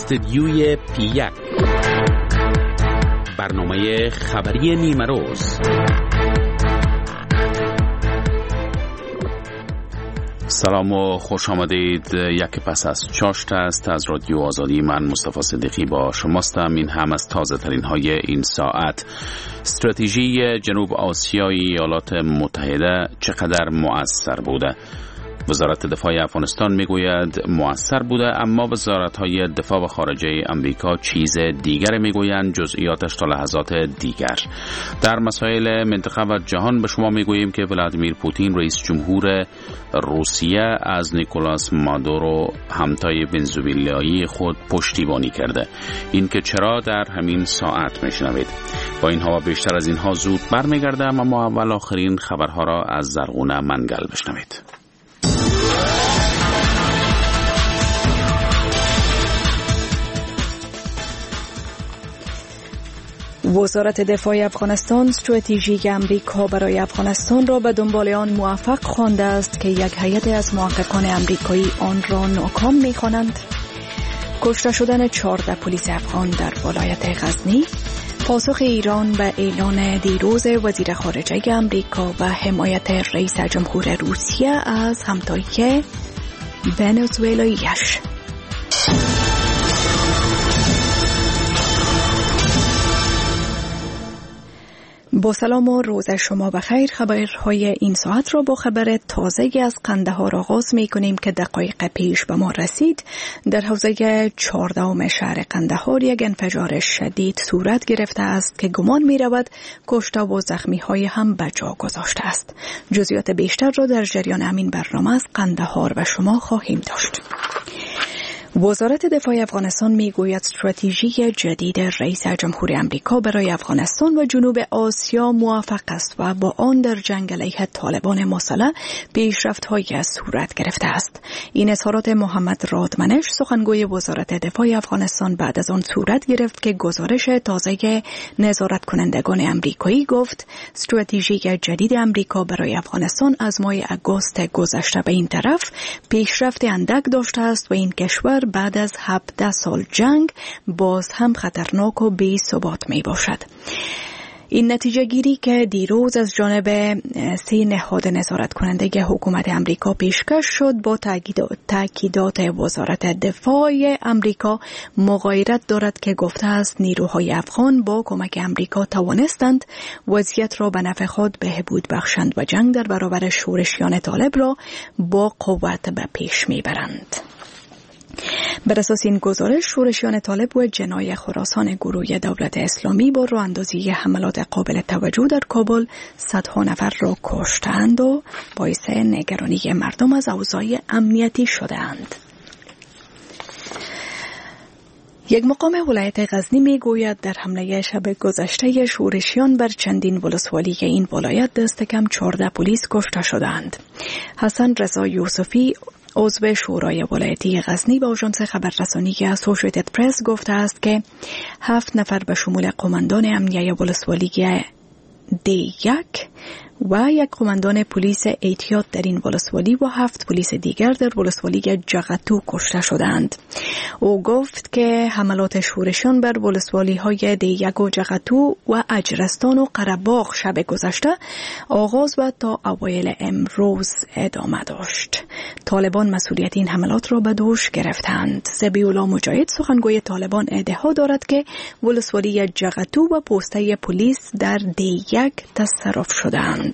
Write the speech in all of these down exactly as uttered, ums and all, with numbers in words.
استدیوی پی یک، برنامه خبری نیمه روز. سلام و خوش آمدید. یک پس از چاشت است از رادیو آزادی. من مصطفی صدیقی با شماستم. این هم از تازه ترین های این ساعت. استراتژی جنوب آسیای ایالات متحده چقدر مؤثر بوده؟ وزارت دفاع افغانستان میگوید مؤثر بوده، اما وزارت‌های دفاع و خارجه امریکا چیز دیگر میگویند، جزئیاتش تا لحظات دیگر. در مسائل منطقه و جهان به شما میگوییم که ولادیمیر پوتین رئیس جمهور روسیه از نیکولاس مادورو همتای ونزوئلایی خود پشتیبانی کرده. این که چرا در همین ساعت میشنوید. با اینها و بیشتر از اینها زود برمیگردم، اما اول آخرین خبرها را از زرغونه منگل بشنوید. وزارت دفاع افغانستان استراتژی امریکا برای افغانستان را به دنبال آن موفق خوانده است که یک هیئت از محققان امریکایی آن را ناکام می‌خوانند. کشته شدن چهارده پلیس افغان در ولایت غزنی، پاسخ ایران به اعلان دیروز وزیر خارجه امریکا و حمایت رئیس جمهور روسیه از همتای ونزوئلایی‌اش. با سلام و روز شما بخیر. خبرهای این ساعت را با خبر تازه از قندهار آغاز می کنیم که دقایق پیش به ما رسید. در حوزه چهاردهم شهر قندهار یک انفجار شدید صورت گرفته است که گمان می رود کشته و زخمی های هم به جا گذاشته است. جزئیات بیشتر را در جریان همین برنامه از قندهار به شما خواهیم داشت. وزارت دفاع افغانستان میگوید استراتژی جدید رئیس جمهور امریکا برای افغانستان و جنوب آسیا موفق است و با آن در جنگ علیه طالبان مسلح پیشرفت‌هایی صورت گرفته است. این اظهارات محمد رادمنش سخنگوی وزارت دفاع افغانستان بعد از آن صورت گرفت که گزارش تازه نظارت کنندگان امریکایی گفت استراتژی جدید امریکا برای افغانستان از ماه آگوست گذشته به این طرف پیشرفت اندک داشته است و این کشور بعد از هفده سال جنگ باز هم خطرناک و بی ثبات می باشد. این نتیجه گیری که دیروز از جانب سه نهاد نظارت کننده حکومت امریکا پیشکش شد با تأکیدات وزارت دفاع امریکا مغایرت دارد که گفته است نیروهای افغان با کمک امریکا توانستند وضعیت را به نفع خود بهبود بخشند و جنگ در برابر شورشیان طالب را با قوت به پیش میبرند. بر اساس این گزارش شورشیان طالب و جنای خراسان گروه دولت اسلامی با راه اندازی حملات قابل توجه در کابل صدها نفر را کشتند و باعث نگرانی مردم از اوضاع امنیتی شدند. یک مقام ولایت غزنی می گوید در حمله شب گذشته شورشیان بر چندین ولسوالی این ولایت دست کم چهارده پلیس کشته شدند. حسن رضا یوسفی عضو شورای ولایتی غزنی با آژانس خبررسانی اسوشیتد پرس گفته است که هفت نفر به شمول قماندان امنیه ولسوالی دی یک و یک قماندان پلیس اعتیاد در این ولسوالی و هفت پلیس دیگر در ولسوالی جغتو کشته شدند. او گفت که حملات شورشیان بر ولسوالی های دی یک و جغتو و اجرستان و قره‌باغ شب گذشته آغاز و تا اوایل امروز ادامه داشت. طالبان مسئولیت این حملات را به دوش گرفتند. ذبیح‌الله مجاهد سخنگوی طالبان ادعا دارد که ولسوالی جغتو و پوسته پلیس در دی یک تصرف شدند.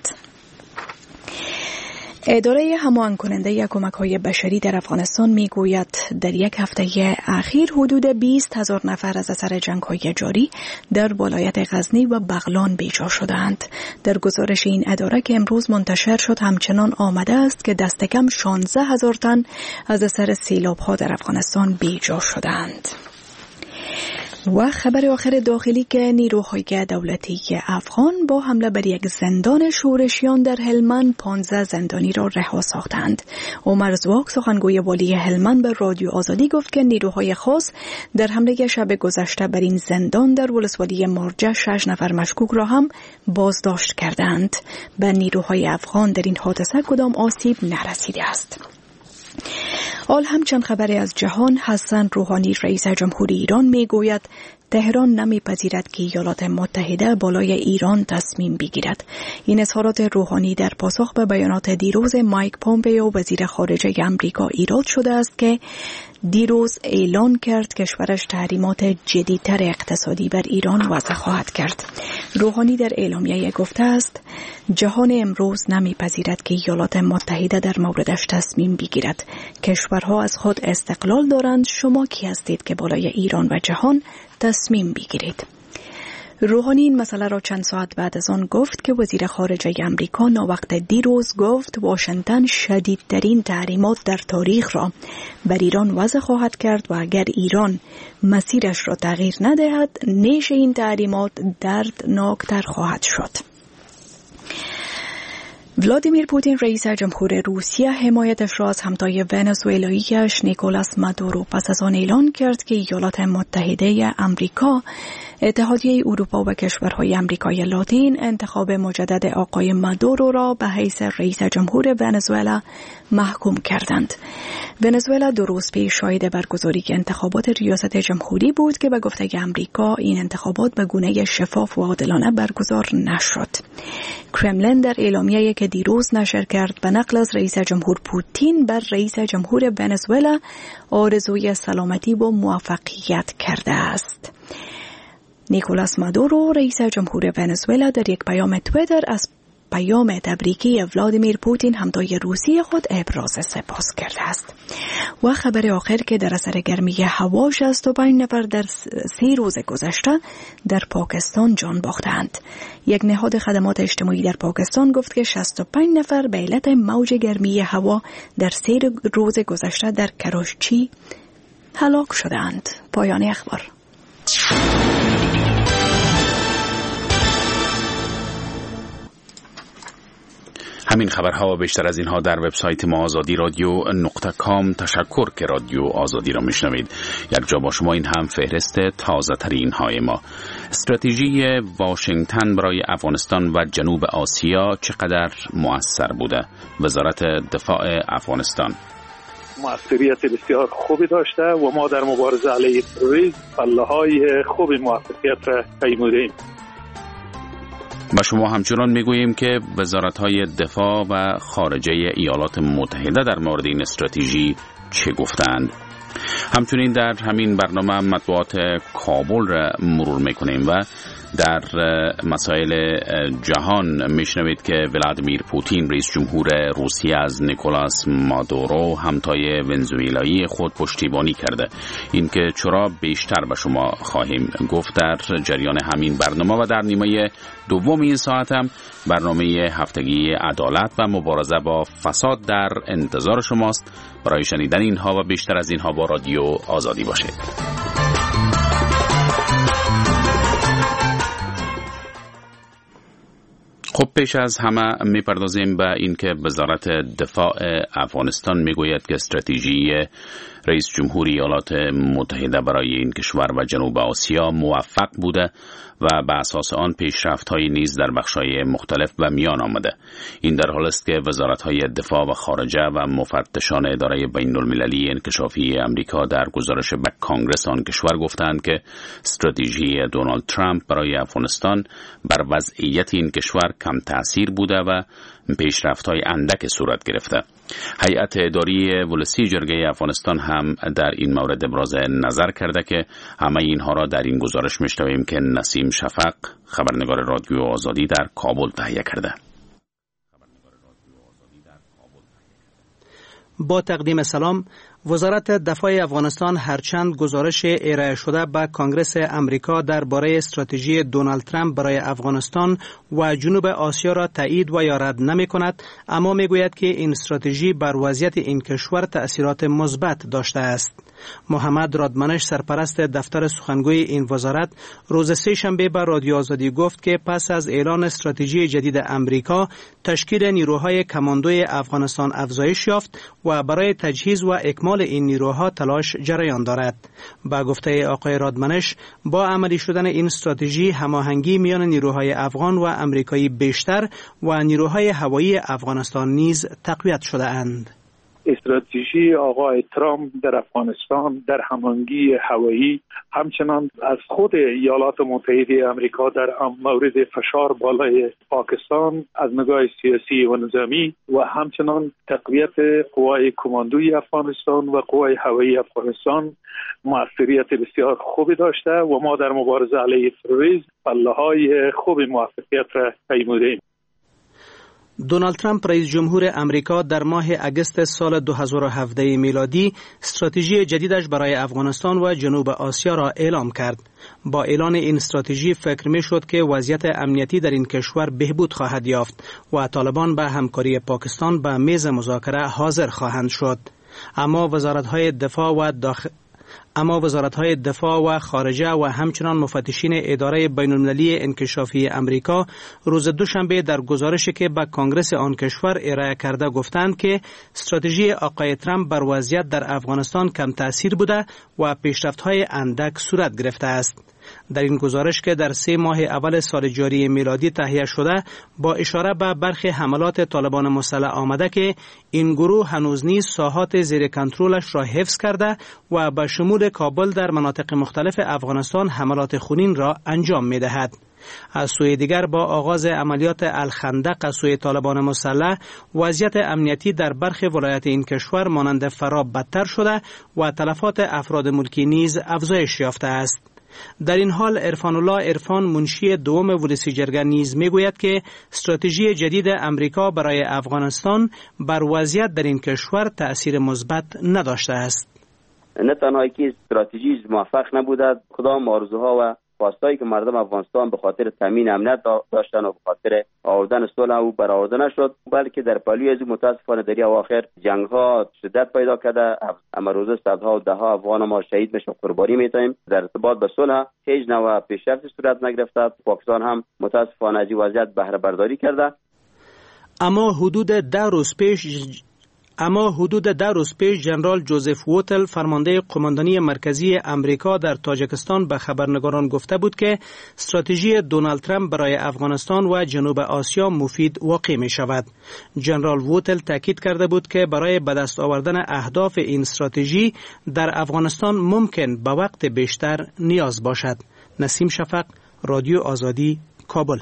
اداره هماهنگ کننده کمک‌های بشری در افغانستان میگوید در یک هفته اخیر حدود بیست هزار نفر از اثر جنگ‌های جاری در ولایت غزنی و بغلان بیجا شدند. در گزارش این اداره که امروز منتشر شد همچنان آمده است که دست کم شانزده هزار تن از اثر سیلاب‌ها در افغانستان بیجا شدند. و خبر آخر داخلی که نیروهای دولتی افغان با حمله بر یک زندان شورشیان در هلمند پانزده زندانی را رها ساختند. عمر زواک سخنگوی والی هلمند به رادیو آزادی گفت که نیروهای خاص در حمله شب گذشته بر این زندان در ولسوالی مارجه شش نفر مشکوک را هم بازداشت کردند. به نیروهای افغان در این حادثه کدام آسیب نرسیده است. حال هم چند خبری از جهان. حسن روحانی رئیس جمهوری ایران میگوید تهران نمیپذیرد که ایالات متحده بالای ایران تصمیم بگیرد. این اظهارات روحانی در پاسخ به بیانات دیروز مایک پومپئو وزیر خارجه امریکا ایراد شده است که دیروز اعلان کرد کشورش تحریمات جدیدتر اقتصادی بر ایران وضع خواهد کرد. روحانی در اعلامیه گفته است جهان امروز نمیپذیرد که ایالات متحده در موردش تصمیم بگیرد. کشورها از خود استقلال دارند، شما کی هستید که بالای ایران و جهان تصمیم بگیرید؟ روحانی این مسئله را چند ساعت بعد از آن گفت که وزیر خارجه امریکا ناوقت دیروز گفت واشنگتن شدیدترین تحریمات در تاریخ را بر ایران وضع خواهد کرد و اگر ایران مسیرش را تغییر ندهد نیش این تحریمات دردناکتر خواهد شد. ولادیمیر پوتین رئیس جمهور روسیه حمایتش را از همتای ونزوئلایی‌اش نیکولاس مادورو پس از آن اعلان کرد که ایالات متحده امریکا، اتحادیه اروپا و کشورهای امریکای لاتین انتخاب مجدد آقای مادورو را به حیث رئیس جمهور ونزوئلا محکوم کردند. ونزوئلا دو روز پیش شاهد برگزاری انتخابات ریاست جمهوری بود که به گفته امریکا این انتخابات به گونه شفاف و عادلانه برگزار نشد. کرملین در اعلامیه‌ای که دیروز نشر کرد به نقل از رئیس جمهور پوتین بر رئیس جمهور ونزوئلا آرزوی سلامتی و موفقیت کرده است. نیکولاس مادورو رئیس جمهور ونزوئلا در یک پیام توییتر از پیام تبریکی ولادیمیر پوتین همتای روسی خود ابراز سپاس کرده است. و خبر آخر که در اثر گرمی هوا شصت و پنج نفر در سه روز گذشته در پاکستان جان باختند. یک نهاد خدمات اجتماعی در پاکستان گفت که شصت و پنج نفر به علت موج گرمی هوا در سه روز گذشته در کراچی هلاک شدند. پایان اخبار. همین خبرها و بیشتر از اینها در وبسایت ما آزادی رادیو نقطه کام. تشکر که رادیو آزادی را میشنوید. یک جا با شما این هم فهرست تازه ترین های ما. استراتژی واشنگتن برای افغانستان و جنوب آسیا چقدر مؤثر بوده؟ وزارت دفاع افغانستان مؤثریت بسیار خوبی داشته و ما در مبارزه علیه تروریسم پله‌های خوبی موفقیت را پیمودیم. با شما همچنان میگوییم که وزارت‌های دفاع و خارجه ایالات متحده در مورد این استراتژی چه گفتند. همچنین در همین برنامه مطبوعات کابل را مرور میکنیم و در مسائل جهان میشنوید که ولادیمیر پوتین رئیس جمهور روسیه از نیکولاس مادورو همتای ونزوئلایی خود پشتیبانی کرده. اینکه چرا بیشتر به شما خواهیم گفت در جریان همین برنامه و در نیمه دوم این ساعت هم برنامه هفتگی عدالت و مبارزه با فساد در انتظار شماست. برای شنیدن اینها و بیشتر از اینها با رادیو آزادی باشید. خب پیش از همه میپردازیم به اینکه وزارت دفاع افغانستان میگوید که استراتژی رئیس جمهوری ایالات متحده برای این کشور و جنوب آسیا موفق بوده و به اساس آن پیشرفت‌های نیز در بخش‌های مختلف به میان آمده. این در حال است که وزارت‌های دفاع و خارجه و مفتشان اداره بین‌المللی انکشافی امریکا در گزارش به کانگرس آن کشور گفتند که استراتژی دونالد ترامپ برای افغانستان بر وضعیت این کشور کم تأثیر بوده و پیشرفت‌های اندک صورت گرفته. هیئت اداری ولسی جرگه افغانستان هم در این مورد ابراز نظر کرده که همه اینها را در این گزارش می‌شنویم که نسیم شفق خبرنگار رادیو آزادی در کابل تهیه کرده. با تقدیم سلام، وزارت دفاع افغانستان هرچند گزارش ارائه شده به کانگرس امریکا درباره استراتژی دونالد ترامپ برای افغانستان و جنوب آسیا را تایید و یا رد نمی کند، اما می گوید که این استراتژی بر وضعیت این کشور تأثیرات مثبت داشته است. محمد رادمنش سرپرست دفتر سخنگوی این وزارت روز سه شنبه به رادیو آزادی گفت که پس از اعلان استراتژی جدید امریکا تشکیل نیروهای کماندوی افغانستان افزایش یافت و برای تجهیز و اکمال این نیروها تلاش جریان دارد. با گفته آقای رادمنش با عملی شدن این استراتژی هماهنگی میان نیروهای افغان و امریکایی بیشتر و نیروهای هوایی افغانستان نیز تقویت شده اند. استراتژی آقای ترامپ در افغانستان در هماهنگی هوایی، همچنان از خود ایالات متحده آمریکا در مورد فشار بالای پاکستان از نگاه سیاسی و نظامی و همچنان تقویت قوای کماندوی افغانستان و قوای هوایی افغانستان موثریت بسیار خوبی داشته و ما در مبارزه علیه تروریسم پله‌های خوب موفقیت را پیمودیم. دونالد ترامپ، رئیس جمهور امریکا، در ماه اگست سال دو هزار و هفده میلادی استراتژی جدیدش برای افغانستان و جنوب آسیا را اعلام کرد. با اعلان این استراتژی فکر می شد که وضعیت امنیتی در این کشور بهبود خواهد یافت و طالبان به همکاری پاکستان به میز مذاکره حاضر خواهند شد. اما وزارت‌های دفاع و داخل اما وزارت‌های دفاع و خارجه و همچنان مفتشین اداره بین‌المللی انکشافی امریکا روز دوشنبه در گزارشی که به کانگرس آن کشور ارائه کرده گفتند که استراتژی آقای ترامپ بر وضعیت در افغانستان کم تأثیر بوده و پیشرفت‌های اندک صورت گرفته است. در این گزارش که در سه ماه اول سال جاری میلادی تهیه شده، با اشاره به برخی حملات طالبان مسلح آمده که این گروه هنوز نیز ساحات زیر کنترلش را حفظ کرده و به شمول کابل در مناطق مختلف افغانستان حملات خونین را انجام می دهد. از سوی دیگر با آغاز عملیات الخندق از سوی طالبان مسلح، وضعیت امنیتی در برخی ولایات این کشور مانند فراه بدتر شده و تلفات افراد ملکی نیز افزایش یافته است. در این حال عرفان الله عرفان، منشی دوم ولسی جرگه، نیز میگوید که استراتژی جدید امریکا برای افغانستان بر وضعیت در این کشور تأثیر مثبت نداشته است. نه تنها که استراتژی موفق نبوده، کدام آرزوها و خواستایی که مردم افغانستان به خاطر تامین امنیت داشتن و به خاطر آوردن صلح او برآورده نشد، بلکه در پهلوی از متاسفانه در اواخر جنگ ها شدت پیدا کرده. اما روزه صدها و ده ها افغان ما شهید میشه، قربانی میتیم. در ارتباط به صلح هیچ نوع پیشرفت صورت نگرفته. پاکستان هم متاسفانه از این وضعیت بهره برداری کرده. اما حدود ده روز پیش اما حدود ده روز پیش جنرال جوزف ووتل، فرمانده قماندانی مرکزی امریکا در تاجکستان، به خبرنگاران گفته بود که استراتژی دونالد ترامپ برای افغانستان و جنوب آسیا مفید واقع می شود. جنرال ووتل تاکید کرده بود که برای به دست آوردن اهداف این استراتژی در افغانستان ممکن به وقت بیشتر نیاز باشد. نسیم شفق، رادیو آزادی، کابل.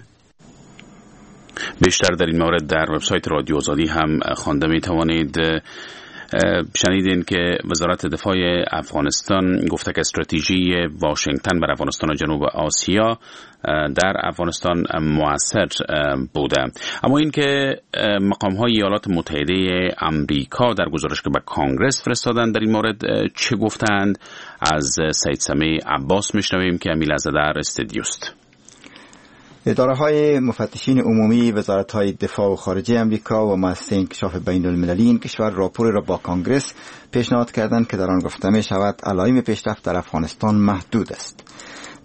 بیشتر در این مورد در وبسایت رادیو آزادی هم خوانده می توانید. شنیدین که وزارت دفاع افغانستان گفته که استراتژی واشنگتن بر افغانستان و جنوب آسیا در افغانستان مؤثر بوده. اما اینکه مقام های ایالات متحده امریکا در گزارش که به کانگرس فرستادند در این مورد چه گفتند، از سید سمیع عباس میشنویم که امی لحظه در استودیوست. اداره های مفتشین عمومی، وزارت های دفاع و خارجه امریکا و مؤسسه انکشاف بین المللی این کشور راپور را با کانگرس پیشنهاد کردند که در آن گفته می شود علایم پیشرفت در افغانستان محدود است.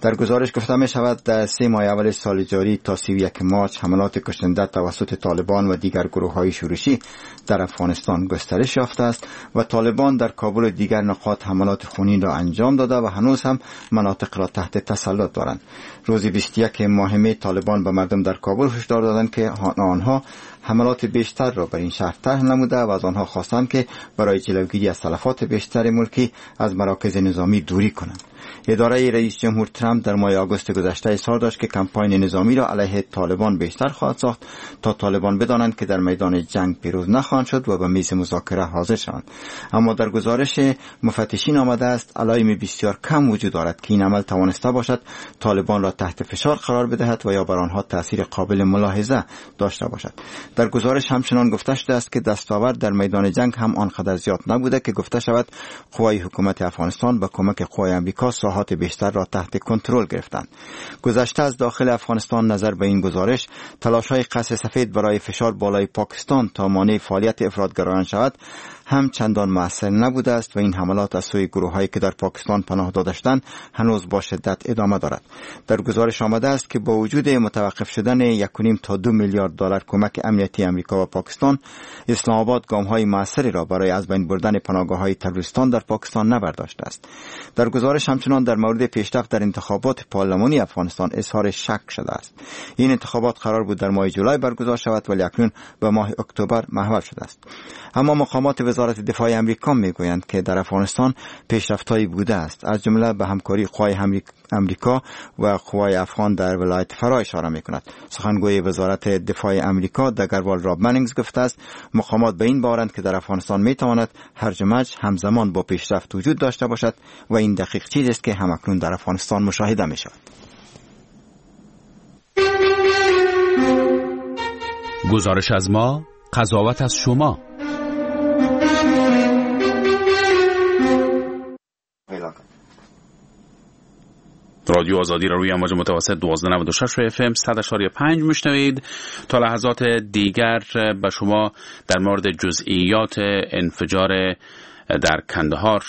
در گزارش گفته می شود در سه ماه اول سال جاری تا سی و یک مارچ حملات کشنده توسط طالبان و دیگر گروه های شورشی در افغانستان گسترش یافته است و طالبان در کابل و دیگر نقاط حملات خونین را انجام داده و هنوز هم مناطق را تحت تسلط دارند. روز بیست و یک ماه می طالبان به مردم در کابل هشدار دادند که آنها حملات بیشتر را بر این شهر طرح نموده و از آنها خواستند که برای جلوگیری از تلفات بیشتر ملکی از مراکز نظامی دوری کنند. اداره رئیس جمهور ترامپ در ماه آگوست گذشته اظهار داشت که کمپاین نظامی را علیه طالبان بیشتر خواهد ساخت تا طالبان بدانند که در میدان جنگ پیروز نخواهند شد و به میز مذاکره حاضر شوند. اما در گزارش مفتشین آمده است علایم بسیار کم وجود دارد که این عمل توانسته باشد طالبان را تحت فشار قرار بدهد و یا بر آنها تاثیر قابل ملاحظه داشته باشد. در گزارش همچنان گفته شده است که دستاورد در میدان جنگ هم آنقدر زیاد نبوده که گفته شود قوای حکومت افغانستان با کمک قوای آمریکا ساحات بیشتر را تحت کنترل گرفتند. گذشته از داخل افغانستان نظر به این گزارش تلاش‌های قصر سفید برای فشار بالای پاکستان تا مانع فعالیت افراط‌گرایان شود هم چندان مؤثر نبوده است و این حملات از سوی گروه‌هایی که در پاکستان پناه داده شدند هنوز با شدت ادامه دارد. در گزارش آمده است که با وجود متوقف شدن یک و نیم تا دو میلیارد دلار کمک امنیتی امریکا و پاکستان، اسلام آباد گام‌های موثری را برای از بین بردن پناهگاه‌های تروریستان در پاکستان نبرداشته است. در گزارش همچنان همچنان در مورد پیشرفت در انتخابات پارلمانی افغانستان اظهار شک شده است. این انتخابات قرار بود در ماه جولای برگزار شود، ولی اکنون به ماه اکتبر محول شده است. اما مقامات وزارت دفاع امریکا میگویند که در افغانستان پیشرفت‌هایی بوده است، از جمله به همکاری قوای امریکا و قوای افغان در ولایت فراه اشاره میکند. سخنگوی وزارت دفاع امریکا دگروال راب منینگز گفته است مقامات به این باورند که در افغانستان میتواند هرج و مرج همزمان با پیشرفت وجود داشته باشد و این دقیق چیزی است که همکنون در افغانستان مشاهده می شود. گزارش از ما، قضاوت از شما. رادیو آزادی را روی امواج متوسط دوازده نود و شش اف ام صد و پنج میشنوید. تا لحظات دیگر به شما در مورد جزئیات انفجار در کندهار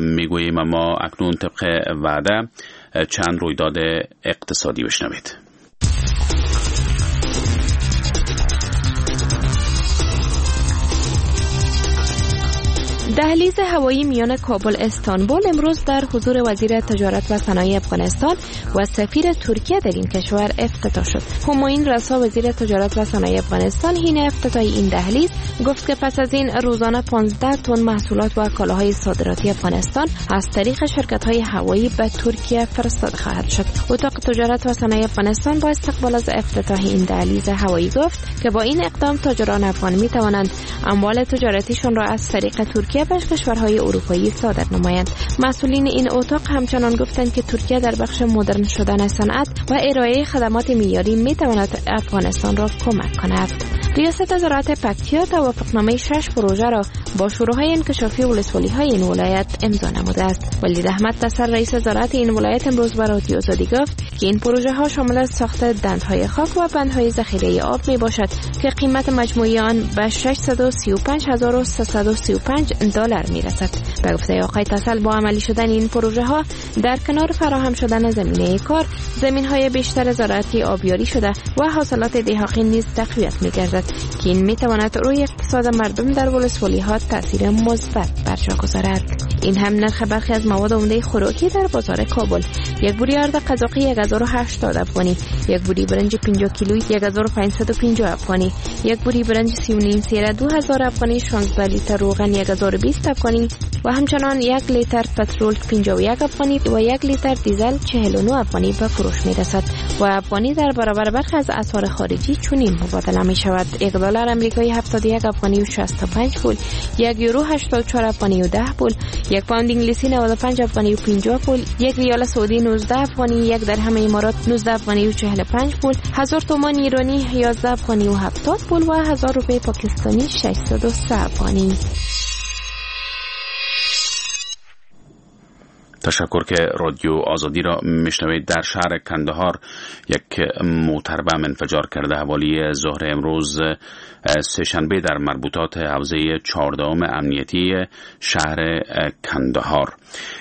میگوییم، اما اکنون طبق وعده چند رویداد اقتصادی بشنوید. دهلیز هوایی میان کابل استانبول امروز در حضور وزیر تجارت و صنایع افغانستان و سفیر ترکیه در این کشور افتتاح شد. همایون رسا وزیر تجارت و صنایع افغانستان حین افتتاح این دهلیز گفت که پس از این روزانه پانزده تن محصولات و کالاهای صادراتی افغانستان از طریق شرکت‌های هوایی به ترکیه فرستاده خواهد شد. اتاق تجارت و صنایع افغانستان با استقبال از افتتاح این دهلیز هوایی گفت که با این اقدام تاجران افغان می‌توانند اموال تجارتیشان را از طریق ترکیه به کشورهای اروپایی صادر نمایند. مسئولین این اتاق همچنان گفتند که ترکیه در بخش مدرن شدن صنعت و ارائه خدمات معیاری میتواند افغانستان را کمک کند. ریاست زراعت پکتیا توافقنامه شش پروژه را با شوراهای انکشافی ولسوالی‌های این ولایت امضا نموده است. ولید احمد تسر رئیس زراعت این ولایت امروز به رادیو آزادی گفت که این پروژه ها شامل ساخت دندهای خاک و بندهای ذخیره آب می باشد که قیمت مجموعی آن به ششصد و سی و پنج هزار و سیصد و سی و پنج دلار می رسد. به گفته آقای تسل با عملی شدن این پروژه ها در کنار فراهم شدن زمینه کار، زمین های بیشتر زراعتی آبیاری شده و حاصلات دهاقین نیز تقویت می گردد که این می تواند روی اقتصاد مردم در ولسوالی ها تاثیر مثبت بر جا گذارد. این هم نرخ برخی از مواد عمده خوراکی در بازار کابل: یک بوری آرد قزاقی هزار و هشتاد افغانی، یک بوری برنج پنجاه کیلویی هزار و پانصد و پنجاه افغانی، یک بوری برنج سی و نیم سیره دو هزار افغانی، شانزده لیتر روغن هزار و بیست افغانی و همچنان یک لیتر پترول پنجاه و یک افغانی و یک لیتر دیزل چهل و نه افغانی به فروش می رسد و افغانی در برابر برخی از اسعار خارجی چنین مبادله می شود: یک دلار آمریکایی هفتاد و یک افغانی و شصت و پنج پول، یک یورو هشتاد و چهار افغانی و ده پول، یک پوند انگلیسی نود و پنج افغانی و پنجاه پول، یک ریال سعودی نوزده افغانی، یک درهم امارات نوزده افغانی و چهل و پنج پول، هزار تومان ایرانی یازده افغانی و هفتاد پول و هزار روپیه پاکستانی ششصد و سه افغانی. تشکر که رادیو آزادی را میشنوید. در شهر کندهار یک موتربم انفجار کرده. حوالی ظهر امروز سه‌شنبه در مربوطات حوزه چهاردهم امنیتی شهر کندهار.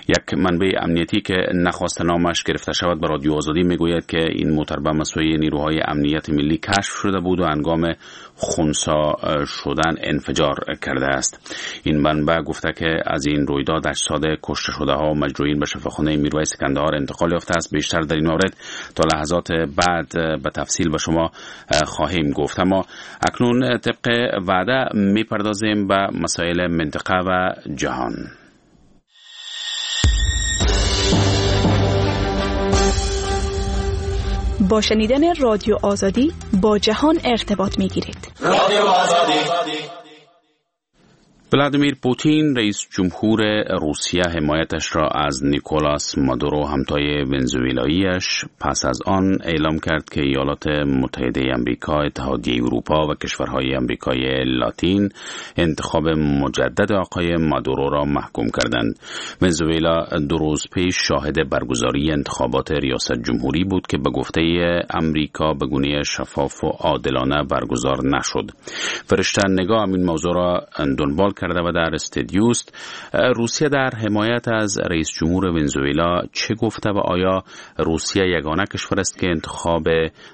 یک منبع امنیتی که نخواست نامش گرفته شود به رادیو آزادی میگوید که این موتربم از سوی نیروهای امنیت ملی کشف شده بود و هنگام خنثی شدن انفجار کرده است. این منبع گفته که از این رویداد اجساد کشته شده ها و مجروحین به شفاخانه میرویس کندهار انتقال یافته است. بیشتر در این مورد تا لحظات بعد به تفصیل به شما خواهیم گفت. اما اکنون طبق وعده میپردازیم به مسائل منطقه و جهان. با شنیدن رادیو آزادی با جهان ارتباط میگیرید. رادیو آزادی. ولادیمیر پوتین رئیس جمهور روسیه حمایتش را از نیکولاس مادورو همتای ونزوئلاییش پس از آن اعلام کرد که ایالات متحده آمریکا، اتحادیه اروپا و کشورهای آمریکای لاتین انتخاب مجدد آقای مادورو را محکوم کردند. ونزوئلا دو روز پیش شاهد برگزاری انتخابات ریاست جمهوری بود که به گفته آمریکا به گونه شفاف و عادلانه برگزار نشد. فرشته نگاه این موضوع را دنبال کرده و در استودیوست. روسیه در حمایت از رئیس جمهور ونزوئلا چه گفته و آیا روسیه یگانه کشور است که انتخاب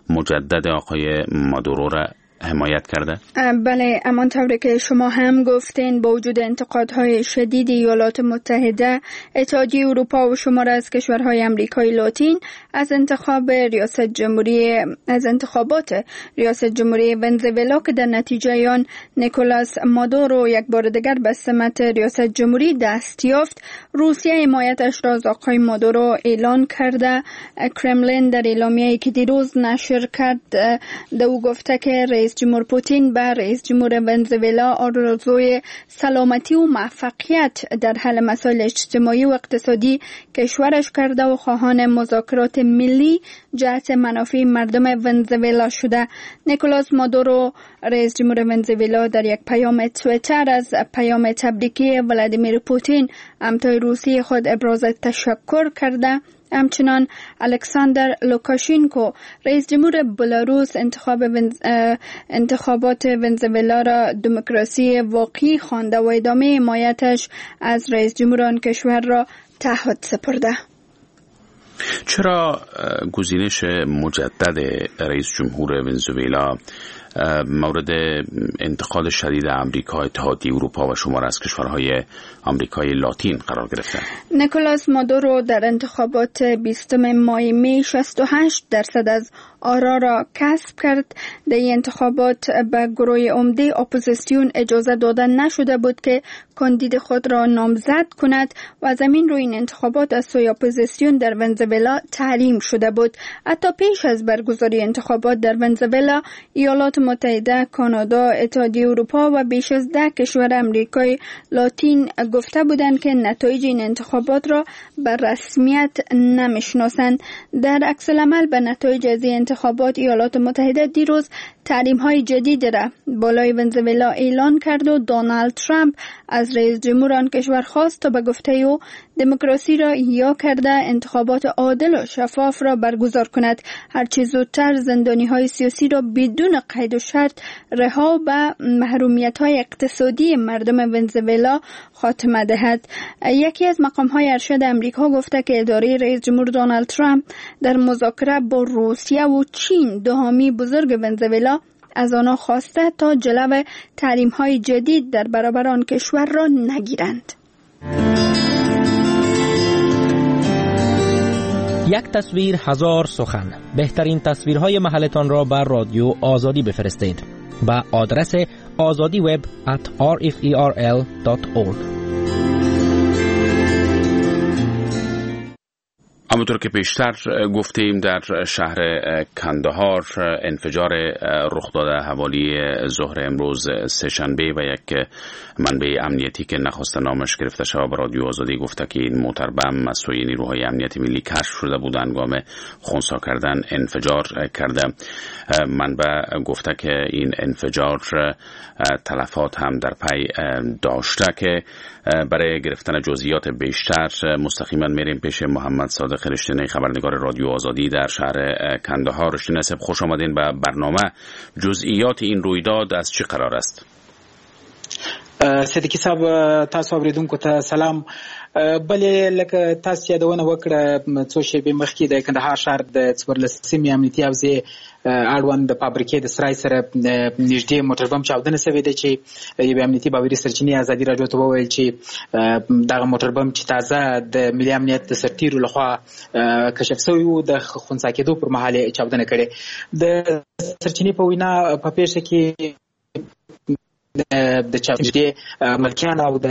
مجدد آقای مادورو را حمایت کرده؟ بله، همان طوری که شما هم گفتین، با وجود انتقادهای شدید ایالات متحده، اتحادیه اروپا و شمار از کشورهای امریکای لاتین از انتخاب ریاست جمهوری از انتخابات ریاست جمهوری ونزوئلا که در نتیجه آن نیکولاس مادورو یک بار دیگر به سمت ریاست جمهوری دست یافت، روسیه حمایتش را از آقای مادورو اعلان کرده. کرملین در اعلامیه‌ای که دیروز نشر کرد، او گفته که رئیس جمهور پوتین به رئیس جمهور ونزوئلا آرزوی سلامتی و موفقیت در حل مسائل اجتماعی و اقتصادی کشورش کرده و خواهان مذاکرات ملی جهت منافع مردم ونزوئلا شده. نیکولاس مادورو رئیس جمهور ونزوئلا در یک پیام توییتر از پیام تبریکی ولادیمیر پوتین همتای روسی خود ابراز تشکر کرده. همچنان الکساندر لوکاشینکو رئیس جمهور بلاروس انتخاب ونز... انتخابات ونزوئلا را دموکراسی واقعی خوانده و ادامه حمایتش از رئیس جمهور آن کشور را تعهد سپرده. چرا گزینش مجدد رئیس جمهور ونزوئلا مورد انتقاد شدید امریکا، اتحادیه اروپا و شمار از کشورهای آمریکای لاتین قرار گرفته؟ نیکولاس مادورو در انتخابات بیستم ماه می شصت و هشت درصد از آرا را کسب کرد. در این انتخابات به گروه عمده اپوزیسیون اجازه داده نشده بود که کاندید خود را نامزد کند و از همین روی این انتخابات از سوی اپوزیسیون در ونزوئلا تحریم شده بود. حتی پیش از برگزاری انتخابات در ونزوئلا، ایالات متحده، کانادا، اتحادیه اروپا و بیش از ده کشور امریکای لاتین گفته بودند که نتایج این انتخابات را به رسمیت نمیشناسند. در عکس العمل به نتایج از این انتخابات، ایالات متحده دیروز تحریم های جدید را بالای ونزوئلا اعلان کرد و دونالد ترامپ از رئیس جمهور آن کشور خواست تا به گفته او دموکراسی را احیا کرده انتخابات عادل و شفاف را برگزار کند، هرچه زودتر زندانی های سیاسی را بدون قید و شرط رها به محرومیت های اقتصادی مردم ونزوئلا خاتمه دهد. یکی از مقام های ارشد امریکا گفته که اداره رئیس جمهور دونالد ترامپ در مذاکره با روسیه و چین، دو حامی بزرگ ونزوئلا، از آنها خواسته تا جلو تحریم های جدید در برابر آن کشور را نگیرند. یک تصویر هزار سخن. بهترین تصویرهای محلتان را بر رادیو آزادی بفرستید به آدرس آزادی وب ات آر اف ای آر ال دات اورگ. همونطور که پیشتر گفتیم، در شهر کندهار انفجار رخ داده حوالی ظهر امروز سه‌شنبه و یک منبع امنیتی که نخواست نامش گرفته شود به رادیو آزادی گفته که این موتر بم از سوی نیروهای امنیت ملی کشف شده بود، هنگام خنثی کردن انفجار کرده. منبع گفته که این انفجار تلفات هم در پی داشته که برای گرفتن جزئیات بیشتر مستقیما میریم پیش محمد صادق رشتینی، خبرنگار رادیو آزادی در شهر کندهار. رشتینی صاحب، خوش آمدین به برنامه. جزئیات این رویداد از چه قرار است؟ صدیقی صاحب، تاسو اوریدونکو ته سلام. بله، لکه تاسو یادونه وکړه، څو شیبې مخکې د کندهار ښار د څوارلسمې امنیتي حوزې اړوند د فابریکې د سرای سره نږدې موټر بم چاودنه شوې ده چې یوې امنیتي باوري سرچینې ازادي راډیو ته وویل چې دغه موټر بم چې تازه د ملي امنیت د سرتیرو لخوا کشف شوی و، د خنثی کېدو پر مهال یې چاودنه کړې. د سرچینې په وینا، په پېښه کې د چاودنې ملکیان او د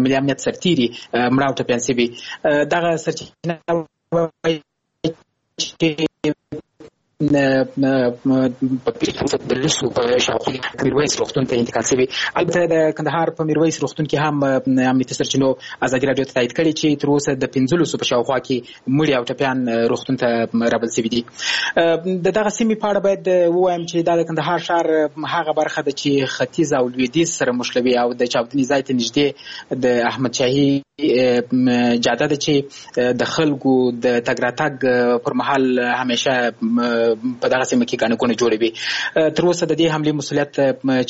ملي امنیت سرتیري مړه او ټپیان شوي. دغه سرچینه وایي چې په لسو په شاوخوا کې میرویس روغتون ته انتقال شوي. البته د کندهار په میرویس روغتون کې هم امنیتي سرچینو ازادي راډیو ته تایید کړې چې تر اوسه د پنځلسو په شاوخوا کې مړي او ټپیان روغتون ته رابل شوي دي. د دغه سیمې په اړه باید ووایم چې دا د کندهار ښار هغه برخه ده چې ختیځ او لویدیځ سره مښلوي او د چاودنې ځای ته نږدې د احمدشاهي جاده ده چې د خلکو د تګ راتګ پر مهال همیشه په دغه سیمه کې ګڼه ګوڼه جوړوي. تر اوسه د دې حملې مسؤلیت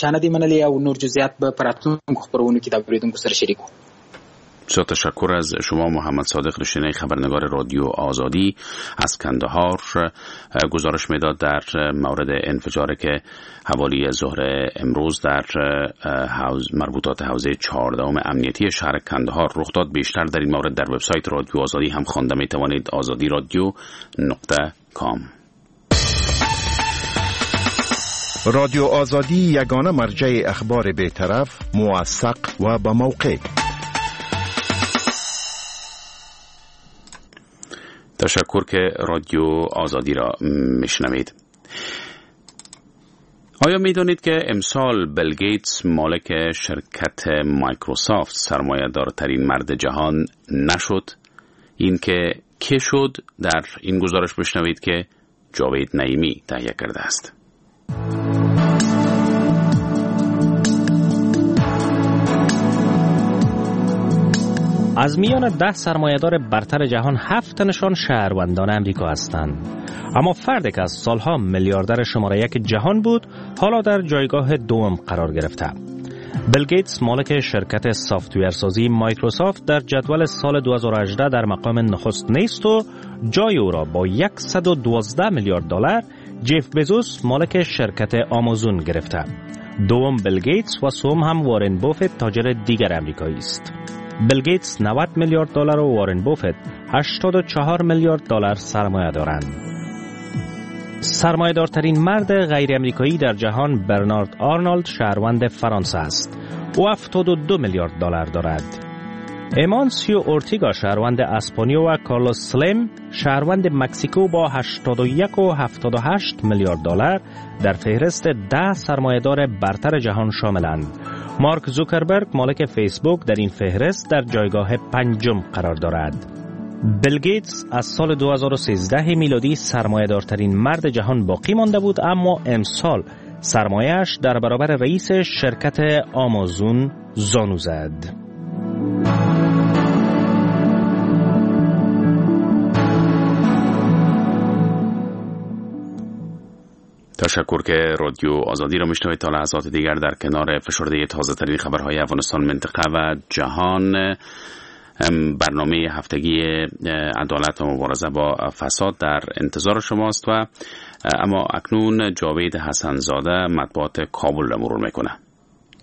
چا نه دی منلی او نور جزئیات به په راتلونکو خپرونو کې د اورېدونکو سره شریکو. بسیار تشکر از شما محمد صادق رشتینی، خبرنگار رادیو آزادی از کندهار، گزارش میداد در مورد انفجار که حوالی ظهر امروز در حوز مربوطات حوزه چهاردهم امنیتی شهر کندهار رخ داد. بیشتر در این مورد در وبسایت رادیو آزادی هم خوانده می توانید، آزادی رادیو نقطه کام. رادیو آزادی یگانه مرجع اخبار بی‌طرف، موثق و به موقع. تشکر که رادیو آزادی را میشنوید. آیا میدانید که امسال بیل گیتس مالک شرکت مایکروسافت سرمایه دارترین مرد جهان نشد؟ این که که شد در این گزارش بشنوید که جاوید نعیمی تهیه کرده است. از میان ده سرمایه‌دار برتر جهان هفت تنشان شهروندان امریکا هستند. اما فردی که از سالها میلیاردر شماره یک جهان بود، حالا در جایگاه دوم قرار گرفته. بیل گیتس مالک شرکت software سازی مایکروسافت در جدول سال دو هزار و هجده در مقام نخست نیست و جای او را با صد و دوازده میلیارد دلار جف بزوس مالک شرکت آمازون گرفته. دوم بیل گیتس و سوم هم وارن بافت تاجر دیگر امریکایی است. بیل گیتس نود میلیارد دلار و وارن بافت هشتاد و چهار میلیارد دلار سرمایه دارند. سرمایه دارترین مرد غیر امریکایی در جهان برنارد آرنولد شهروند فرانسه است. او هفتاد و دو میلیارد دلار دارد. ایمانسیو اورتیگا شهروند اسپانیا و کارلوس سلیم شهروند مکزیکو با هشتاد و یک و هفتاد و هشت میلیارد دلار در فهرست ده سرمایه‌دار برتر جهان شاملند. مارک زوکربرگ مالک فیسبوک در این فهرست در جایگاه پنجم قرار دارد. بیل گیتس از سال دو هزار و سیزده میلادی سرمایه‌دارترین مرد جهان باقی مانده بود، اما امسال سرمایه‌اش در برابر رئیس شرکت آمازون زانو زد. تشکر که رادیو آزادی را میشنوید. تا لحظات دیگر در کنار فشرده تازه ترین خبرهای افغانستان، منطقه و جهان، برنامه هفتگی عدالت و مبارزه با فساد در انتظار شماست. و اما اکنون جاوید حسن زاده مطبوعات کابل را مرور میکنه.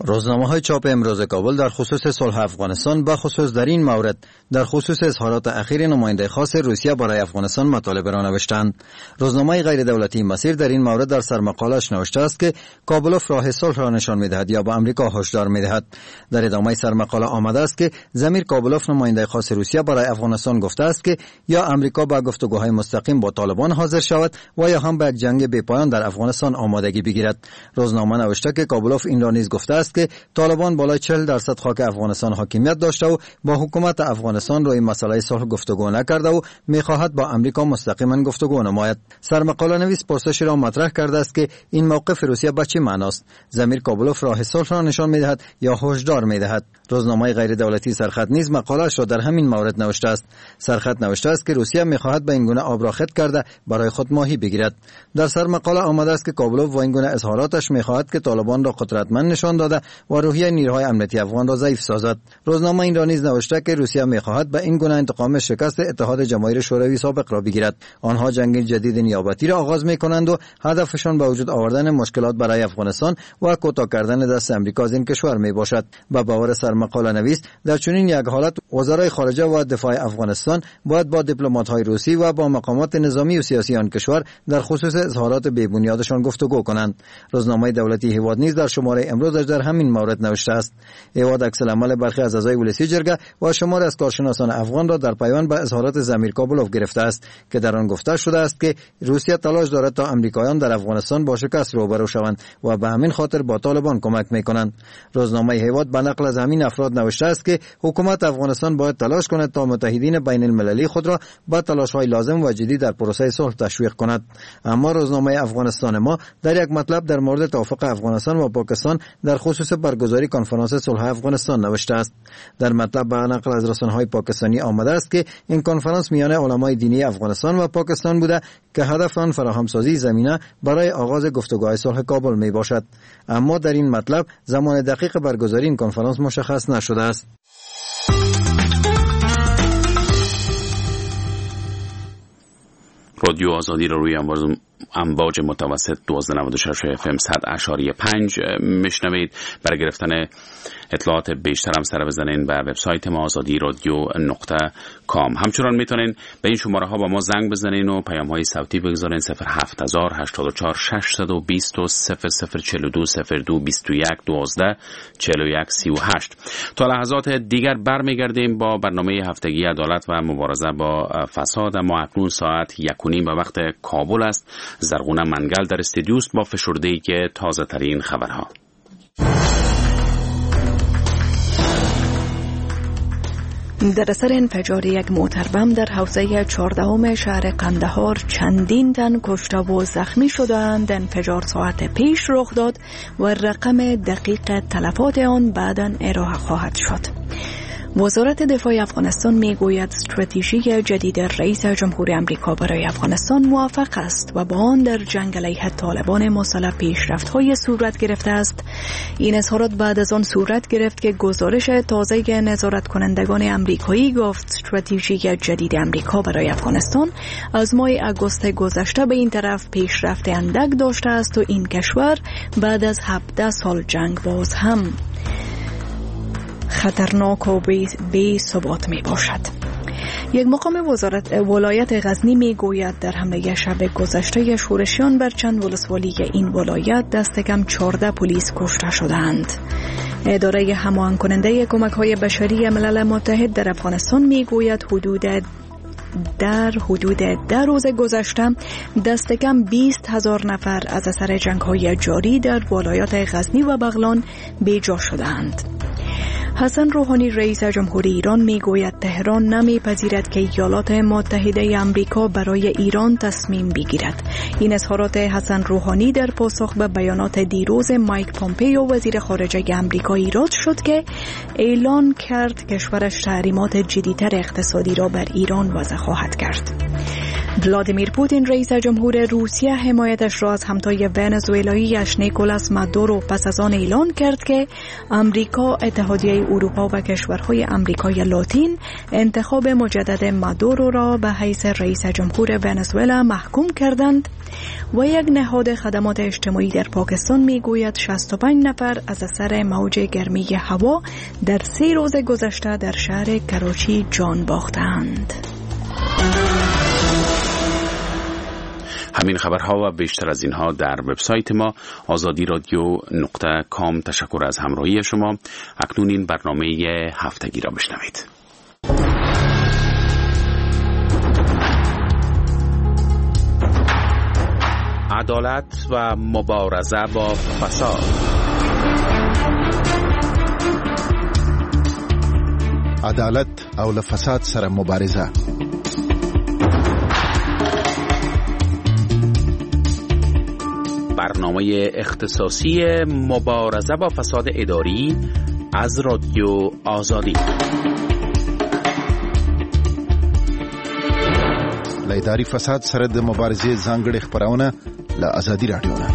روزنامه های چاپ امروز کابل در خصوص صلح افغانستان، به خصوص در این مورد در خصوص اظهارات اخیر نماینده خاص روسیه برای افغانستان مطالب را نوشتند. روزنامه غیر دولتی مسیر در این مورد در سرمقاله‌اش نوشته است که کابلوف راه صلح را نشان می‌دهد یا به امریکا هشدار می‌دهد. در ادامه سرمقاله آمده است که ضمیر کابلوف نماینده خاص روسیه برای افغانستان گفته است که یا امریکا به گفتگوهای مستقیم با طالبان حاضر شود و یا هم به یک جنگ بی‌پایان در افغانستان آمادگی بگیرد. روزنامه نوشته که کابلوف این را نیز گفته است که طالبان بالای چهل درصد خاک افغانستان حاکمیت داشته و با حکومت افغانستان روی مسئله صلح گفتگو نکرده و میخواهد با امریکا مستقیما گفتگو نماید. سرمقاله نویس پرسشی را مطرح کرده است که این موقف روسیه به چه معناست؟ ضمیر کابلوف راه صلح را نشان میدهد یا هشدار میدهد؟ روزنامه غیر دولتی سرخط نیز مقاله‌اش را در همین مورد نوشته است. سرخط نوشته است که روسیه میخواهد به این گونه آب را خط کرده برای خود ماهی بگیرد. در سرمقاله آمده است که کابلوف با این گونه اظهاراتش میخواهد که طالبان را قدرتمند نشان داده و روحیه نیروهای امنیتی افغان را ضعیف سازد. روزنامه این را نیز نوشته که روسیه میخواهد به این گونه انتقام شکست اتحاد جماهیر شوروی سابق را بگیرد. آنها جنگ جدید نیابتی را آغاز میکنند و هدفشان به وجود آوردن مشکلات برای افغانستان و کوتاه کردن دست امریکا از این کشور میباشد. به باور سرمقاله نویس در چنین یک حالت وزرای خارجه و دفاع افغانستان باید با دیپلمات‌های روسی و با مقامات نظامی و سیاسی آن کشور در خصوص اظهارات بی‌بنیادشان گفتگو کنند. روزنامه دولتی هیواد نیز در شماره امروزش در همین مورد نوشته است. هیواد عکس العمل برخی از اعضای ولسی جرگه و شمار از کارشناسان افغان را در پیوند به اظهارات ضمیر کابلوف گرفته است که در آن گفته شده است که روسیه تلاش دارد تا امریکایان در افغانستان با شکست روبرو شوند و به همین خاطر با طالبان کمک میکنند. روزنامه هیواد به نقل از همین افراد نوشته است که حکومت افغانستان باید تلاش کند تا متحدین بین المللی خود را با تلاش‌های لازم و جدی در پروسه صلح تشویق کند. اما روزنامه افغانستان ما در یک مطلب در مورد توافق افغانستان و پاکستان در خصوص برگزاری کنفرانس صلح افغانستان نوشته است. در مطلب به نقل از رسانه‌های پاکستانی آمده است که این کنفرانس میان علمای دینی افغانستان و پاکستان بوده که هدف آن فراهمسازی زمینه برای آغاز گفتگوهای صلح کابل می باشد. اما در این مطلب زمان دقیق برگزاری این کنفرانس مشخص نشده است. رادیو آزادی را روی امواج متوسط دوازده نود و شش اف ام صد اعشاریه پنج میشنوید. برای گرفتن اطلاعات بیشتر هم سر بزنین به وبسایت ما آزادی رادیو نقطه کام. همچنان میتونین به این شماره ها با ما زنگ بزنین و پیام های صوتی بگذارین: صفر هفت هزار هشتاد و چهار ششصد و بیست و صفر صفر چهل و دو صفر دو بیست و یک دوازده چهل و یک سی و هشت. تا لحظات دیگر برمیگردیم با برنامه هفتگی عدالت و مبارزه با فساد. اما اکنون ساعت یک و نیم به وقت کابل است. زرغونه منگل در استودیوست با فشرده‌ای که تازه ترین خبرها. در اثر انفجار یک موتربم در حوزه چهاردهم شهر قندهار چندین تن کشته و زخمی شدند. انفجار ساعت پیش رخ داد و رقم دقیق تلفات آن بعداً ارائه خواهد شد. وزارت دفاع افغانستان میگوید استراتژی جدید رئیس جمهور امریکا برای افغانستان موفق است و با آن در جنگ علیه طالبان مسلح پیشرفت‌های صورت گرفته است. این اظهارات بعد از آن صورت گرفت که گزارش تازه نظارت کنندگان امریکایی گفت استراتژی جدید امریکا برای افغانستان از ماه آگوست گذشته به این طرف پیشرفت اندک داشته است و این کشور بعد از هفده سال جنگ باز هم خطرناک و بی ثبات می باشد. یک مقام وزارت ولایت غزنی می گوید در حمله شب گذشته شورشیان بر چند ولسوالی این ولایت دست کم چهارده پلیس کشته شدند. اداره هماهنگ کننده کمک های بشری ملل متحد در افغانستان می گوید حدود در حدود ده روز گذشته دست کم بیست هزار نفر از اثر جنگ های جاری در ولایات غزنی و بغلان بیجا شدند. حسن روحانی رئیس جمهوری ایران میگوید تهران نمیپذیرد که ایالات متحده آمریکا برای ایران تصمیم بگیرد. این اظهارات حسن روحانی در پاسخ به بیانات دیروز مایک پومپئو وزیر خارجه آمریکا ایراد شد که اعلان کرد کشورش تحریمات جدی‌تر اقتصادی را بر ایران وضع خواهد کرد. ولادیمیر پوتین رئیس جمهور روسیه حمایتش را از همتای ونزوئلایی‌اش نیکولاس مادورو پس از آن اعلان کرد که آمریکا، اتحادیه اروپا و کشورهای آمریکای لاتین انتخاب مجدد مادورو را به حیث رئیس جمهور ونزوئلا محکوم کردند. و یک نهاد خدمات اجتماعی در پاکستان میگوید شصت و پنج نفر از اثر موج گرمی هوا در سه روز گذشته در شهر کراچی جان باختند. همین خبرها و بیشتر از اینها در وبسایت ما آزادی رادیو نقطه کام. تشکر از همراهی شما. اکنون این برنامه هفتگی را بشنوید. عدالت و مبارزه با فساد. عدالت او له فساد سره مبارزه. برنامه اختصاصی مبارزه با فساد اداری از رادیو آزادی. له اداري فساد سره د مبارزې ځانګړې خپرونه له ازادي رادیو نه.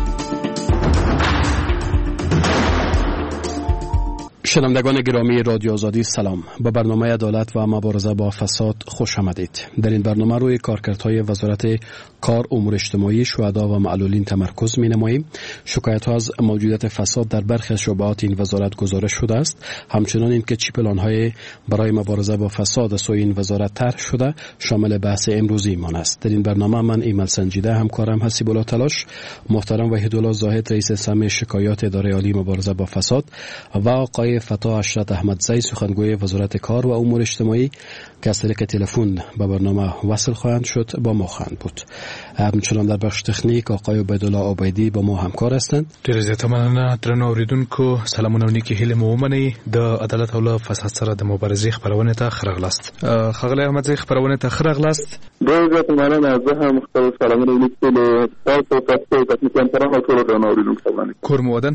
شنوندگان گرامی رادیو آزادی سلام، به برنامه عدالت و مبارزه با فساد خوش آمدید. در این برنامه روی کارکردهای وزارت کار، امور اجتماعی، شهدا و معلولین تمرکز می نماییم. شکایت ها از موجودیت فساد در برخی از شعبات این وزارت گزارش شده است. همچنان اینکه چی پلان های برای مبارزه با فساد سوی این وزارت طرح شده شامل بحث امروزی مان است. در این برنامه من ایمل سنجیده، همکارم حسیب الله تلاش، محترم وحیدالله زاهد رئیس سمع شکایات اداره عالی مبارزه با فساد و آقای فتا عشرت احمدزی سخنگوی وزارت کار و امور اجتماعی که از طریق تلفن به برنامه وصل خواهند شد با ما خواهند بود. همچنان در بخش تخنیک آقای عبیدالله عبیدی با ما همکار هستند. ډېر زیاته مننه درنو اوریدونکو، سلامونه او نیکې هیلې مو ومنئ. د عدالت او له فساد سره د مبارزې خپرونې ته ښه راغلاست. ښاغلی احمدزی، خپرونې ته ښه راغلاست. ډېر زیاته مننه، زه هم خپل سلامونه او نیکې هیلې تاسو ته تخنیکي همکارانو او ټولو درنو اوریدونکو ته وړاندې. کور مو ودان.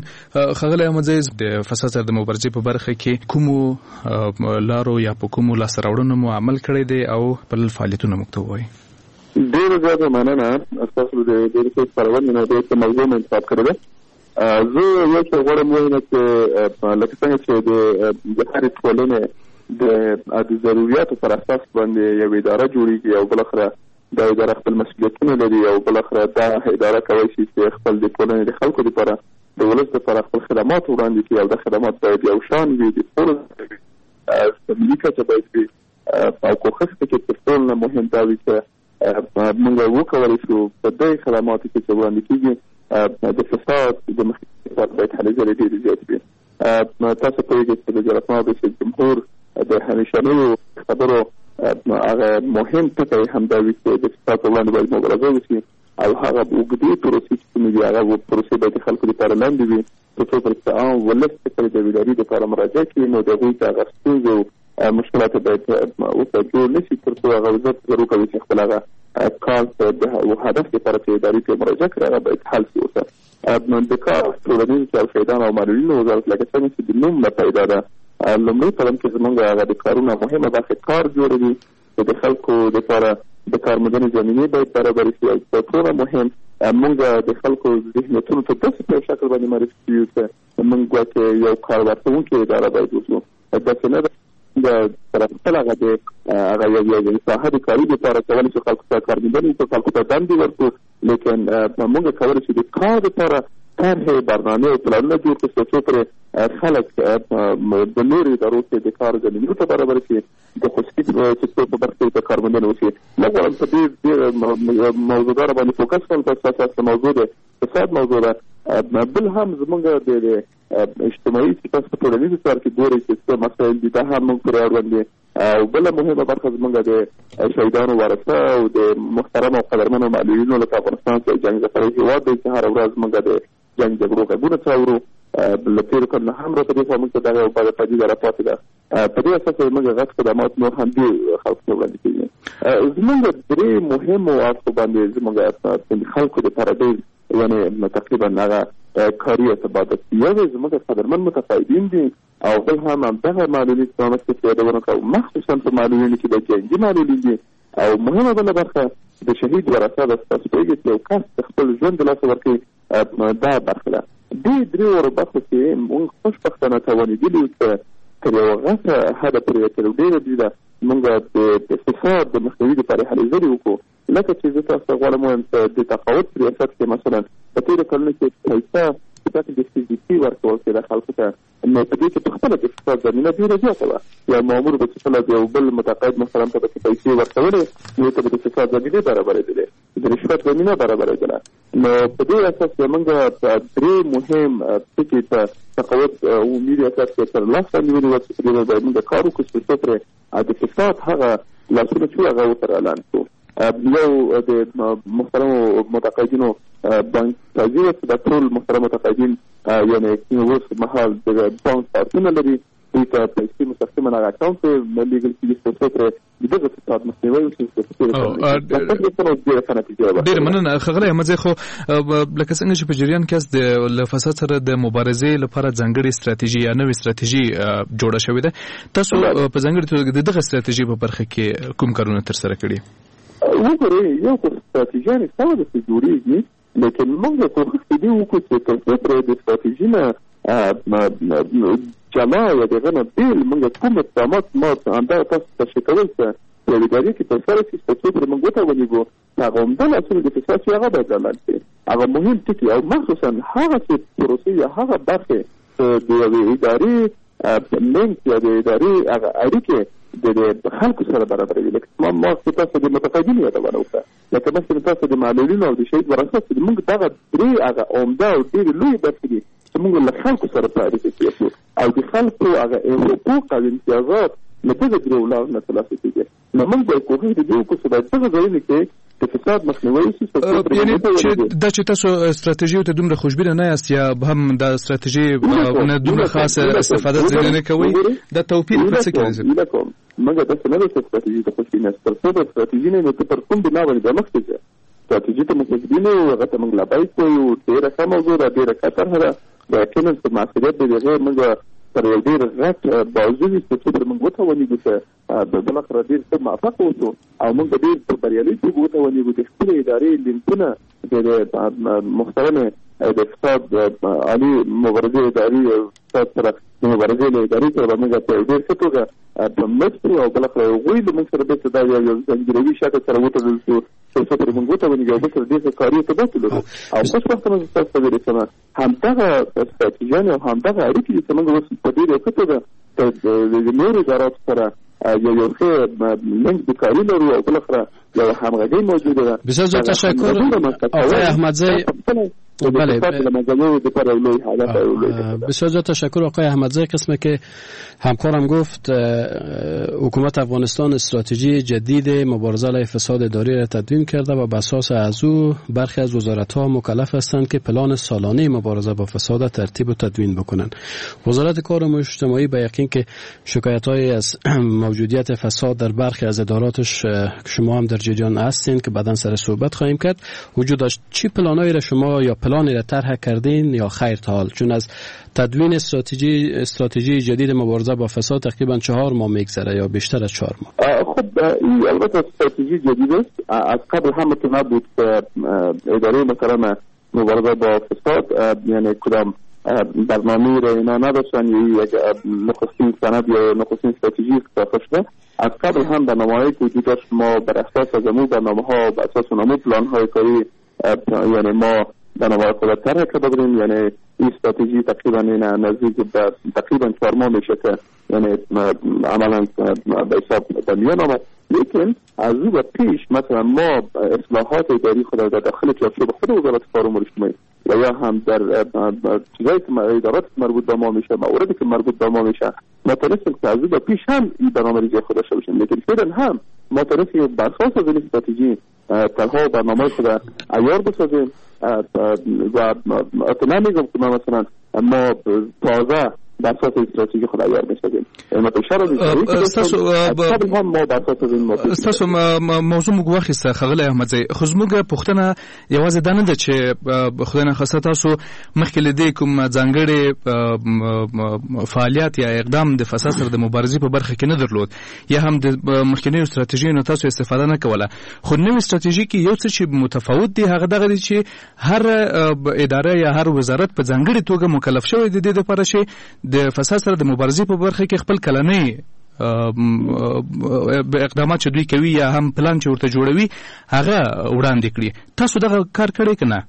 ښاغلی احمدزی، د فساد سره د مبارزې په برخه کې کومو لارو یا په کومو لاسته راوړنو مو عمل کړی دی او خپل فعالیتونه موږ ته ووایئ؟ ډېره زیاته مننه، ستاسو د ډېرې ښې خپرونې نه ډېر ښه موضوع مو انتخاب کړې ده. زه یو څه غواړم ووایم چې لکه څنګه چې د هرې ټولنې د ضروریاتو پر اساس باندې یوه اداره جوړېږي او بالاخره دا اداره خپل مسؤلیتونه لري او بالاخره دا اداره کولی شي چې خپل د ټولنې د خلکو لپاره، د ولس لپاره خپل خدمات وړاندې کړي او دا خدمات باید یو شان وي، د ټولو ملي کچه باید وي. او کوښښ پکې تر ټولو نه مهم دا وي چې موږ وکولی شو په دې خدماتو کې چې وړاندې کېږي د فساد د مخنیوي لپاره باید هلې ځلې ډېرې زیاتې وي. تاسو پوهېږئ چې د جلالتمآب رئیس جمهور د همیشنیو خبرو هغه مهم ټکی هم دا وي چې د فساد په وړاندې باید مبارزه وشي او هغه اوږدې پروسې چې کومې دي هغه پروسې باید د خلکو لپاره لنډې وي، تر څو پورې چې عام ولس چې کله د ادارې لپاره مراجعه کوي نو د هغوی ته هغه ستونزې او مشکلات باید ورته جوړ نه شي، تر څو هغه زر زر وکوي چې خپل هغه کار د هدف لپاره چې ادارې ته مراجعه کړي هغه باید حل شي. ورته د کار ټولنیزو چارو، شهیدانو او معلولینو وزارت لکه څنګه چې د نوم نه پیدا ده، لومړی قدم کې زمونږ هغه د کارونه مهمه برخه کار جوړوي چې د خلکو لپاره د کار موندنې زمینې باید برابرې شي. او تر ټولو مهم موږ د خلکو ذهنیتونو ته داسې په یو شکل باندې معرفي کړو چې موږ ګواکې یو کار ورکوونکې اداره باید اوسو، داسې نه ده سره خپل هغه د هغه یو یو ساحه د کاري لپاره کولی شو خلکو ته کار موندنې وکړو، خلکو ته دندې ورکړو، لیکن موږ کولی شو د کار لپاره طرحې، برنامې او پلانونه جوړ کړو تر څو پورې خلک د نورو ادارو کې د کار زمینو ته برابر شي، د خصوصي سکتور په برخه کې د کار موندنه وشي. نه غواړم په دې ډېر موضوعګانو باندې فوکس کړم، تاسو تاسو موضوع ده فساد موضوع ده. بل هم زمونږ د اجتماعي چې تاسو په ټولنیزو چارو کې ګورئ چې څه مسایل دي دا هم موږ پورې اړوند دي. او بله مهمه برخه زمونږ د شهیدانو ورثه او د محترم او قدرمنو معلولینو لکه افغانستان چې جنګ ځپلی هېواد دی چې هره ورځ موږ د جنګ جګړو غږونه څه اورو، له تېرو کلونو هم را په دې خوا موږ ته دغه یو بده پدیده را پاتې ده. په دې اساس زموږ غټ خدمات نور هم دې خلکو ته وړاندې کېږي. زموږ درې مهمو اړخو باندې زموږ خلکو لپاره ډېر یعنې تقریبا هغه کاري ارتباط یو زموږ قدرمن متقاعدین دي او بل هم همدغه معلولین چې ما مخکې یادونه کړه، مخصوصا په معلولینو کې د جنګي معلولین دي. او مهمه بله برخه د شهید ورثه ده. تاسو پوهېږئ چې یو کس د خپل ژوند د لاسه ورکوي دا برخه ده. دې درې واړو برخو کې موږ خوشبختانه توانېدلي یو چې تر یوه غټه حده پورې تر ډېره بریده موږ د فساد د مخنیوي لپاره هلې ځلې وکړو. لکه چې زه تاسو ته غواړم ووایم چې د تقاعد په ریاست کې مثلا په تېرو کلونو کې پیسه په شکل د فزیکي ورکول کېده خلکو ته، نو په دې کې په خپله د فساد زمینه ډېره زیاته وه. یو مامور به چې کله د یو بل متقاعد محترم ته به چې پیسې ورکولې نو ته به د فساد زمینې برابرېدلې، د رشوت زمینه برابرېدله. نو په دې اساس زمونږ درې مهم ټکي په تقاعد عمومي ریاست کې تر لاسه نیولي وه چې په دې باندې موږ کار وکړو چې څو پرې د فساد هغه لاسونه چې هغه ورته اعلان کړو. یو د محترمو متقاعدینو بانک سازي وه چې دا ټول محترم متقاعدین یعنې اوس مهال د بانک کارتونه لري، دوی ته پیسې مستقیما هغه اکاونټ ته لېږل کېږي تر څو پرې د دغه فساد مخنیوی وشي. ډېره مننه ښاغلی احمدزی. خو لکه څنګه چې په جریان کې یاست د له فساد سره د مبارزې لپاره ځانګړې ستراتیژي یا نوې ستراتیژي جوړه شوې ده، تاسو په ځانګړې توګه د دغه ستراتیژي په برخه کې کوم کارونه ترسره کړي؟ وګورئ، یو خو ستراتیژیانې سمه ده چې جوړېږي، لیکن موږ کوښښ په دې وکړو چې تر څو پورې د ستراتیژي نه جلا یا د هغه نه بېل موږ کوم اقدامات ما همدا تاسو تشریح کول چې په یوې ادارې کې ترسره شي تر څو پورې موږ وتوانېږو هغه عمده لاسونه د فساد چې هغه باید رالنډ کړي، هغه مهم ټکي او مخصوصا هغه چې پروسې یا هغه برخې د یوې ادارې لینک یا د ادارې هغه اړیکې د خلکو سره برابروي. لکه ما مخکې تاسو د متقاعدینو یادونه وکړه، لکه مخکې تاسو د معلولینو او د شهید ورثه چې موږ دغه درې هغه عمده او ډېرې لویې برخې دي چې موږ له خلکو سره په اړیکه کې یو او د خلکو هغه حقوق او امتیازات له دغه درېو لارو نه ترلاسه کېږي. نو موږ باید کوښښ د دې وکړو چې باید دغه ځایونو کې د فساد مخنیوی وشي. یعنې چې دا چې تاسو ستراتیژیو ته دومره خوشبینه نه یاست یا هم دا ستراتیژي نه دومره خاصه استفاده ځینې نه کوئ، دا توپیر په څه کې راځي؟ موږ داسې نه ده چې ستراتیژي ته خوشبین یاست، تر څو به ستراتیژي نه نو ته پر کوم بنا باندې بیا مخکې ځې. ستراتیژي ته موږ خوشبین یو، هغه ته موږ لبیک وایو، ډېره ښه موضوع ده، ډېره ښه طرحه ده. یقینا په معصریت د هغې موږ تر یو ډېر غټ بازو وي چې څو پرې موږ وتوانېږو چې بالاخره ډېر ښه موفق اوسو او موږ به ډېر په بریالي توګه وتوانېږو د خپلې ادارې لینکونه د محترمې د فساد عالي مبارزې ادارې فساد سره د مبارزې له ادارې سره به موږ په ډېر ښه توګه مچ کړو او بالاخره هغوی له موږ سره بېرته دا یو زنجیروي شکل سره وتړل شو، تر څو پورې موږ وتوانېږو یو بل سره ډېر ښه کاري ارتباط ولرو. او خوشبختانه زه تاسو ته ویلی شم همدغه ستراتیژیانې او همدغه اړیکې دي چې موږ اوس په ډېر ښه توګه د نورو اداراتو سره یو یو ښه لینک د کاري لرو او بالاخره یو همغږي موجوده ده. بسیار زیاد تشکر آقای احمدزی. بله، بسیار زیاد تشکر آقای احمدزی. قسمه که همکارم گفت حکومت افغانستان استراتژی جدید مبارزه علیه فساد اداری را تدوین کرده و به اساس از او برخی از وزارت‌ها مکلف هستند که پلان سالانه مبارزه با فساد ترتیب و تدوین بکنند. وزارت کار و اجتماعی به یقین که شکایت‌های از موجودیت فساد در برخی از اداراتش شما هم در جریان هستین که بعداً سر صحبت خواهیم کرد وجود داشت. چی پلانایی را شما یا پلانی را طرح کردین یا خیر تا حال؟ چون از تدوین استراتژی استراتژی جدید مبارزه با فساد تقریبا چهار ماه میگذره یا بیشتر از چهار ماه. خب این البته استراتژی جدید است. از قبل هم که نبود که اداره مثلا مبارزه با فساد یعنی کدام برنامه را اینا نداشتن یا یک نخستین سند یا نخستین استراتژی ساخته شده. از قبل هم برنامه‌هایی که وجود داشت ما بر اساس از امو برنامه‌ها بر اساس اون پلان‌های کاری یعنی ما برنامه خود طرح کرده بودیم. یعنی این استراتژی تقریبا این نزدیک به تقریبا چهار ماه میشه که یعنی عملا به حساب به میان آمد. لیکن از او به پیش مثلا ما اصلاحات اداری خود در داخل چارچوب خود وزارت کار و امور اجتماعی و یا هم در چیزایی که ادارات مربوط به ما میشه، مواردی که مربوط به ما میشه، ما تونستیم که از او به پیش هم این برنامه‌ریزی خود داشته باشیم. لیکن فعلا هم ما تونستیم بر اساس از این استراتژی طرح‌ها و برنامه‌های خود عیار بسازیم و نمیگم که ما مثلا ما تازه بر اساس استراتژی خود عیار می‌سازیم. ما قبل هم ما بر اساس این ستاسو موضوع موږ واخیسته ښاغلی احمدزی، خو زموږ پوښتنه یوازې دا نه ده چې خدای نخواسته تاسو مخکې له دې کوم ځانګړی فعالیت یا اقدام د فساد سره د مبارزې په برخه کې نه درلود یا هم د مخکنیو استراتژیو تاسو استفاده نه کوله، خو نوې استراتژي کې یو څه چې متفاوت دی هغه دغه دی چې هر اداره یا هر وزارت په ځانګړي توګه مکلف شوی دی د دې لپاره چې د فساد سره د مبارزې په برخه کې خپل کلنۍ اقدامات چې دوی کوي یا هم پلان چې ورته جوړوي هغه وړاندې کړي. تاسو دغه کار کړی که نه؟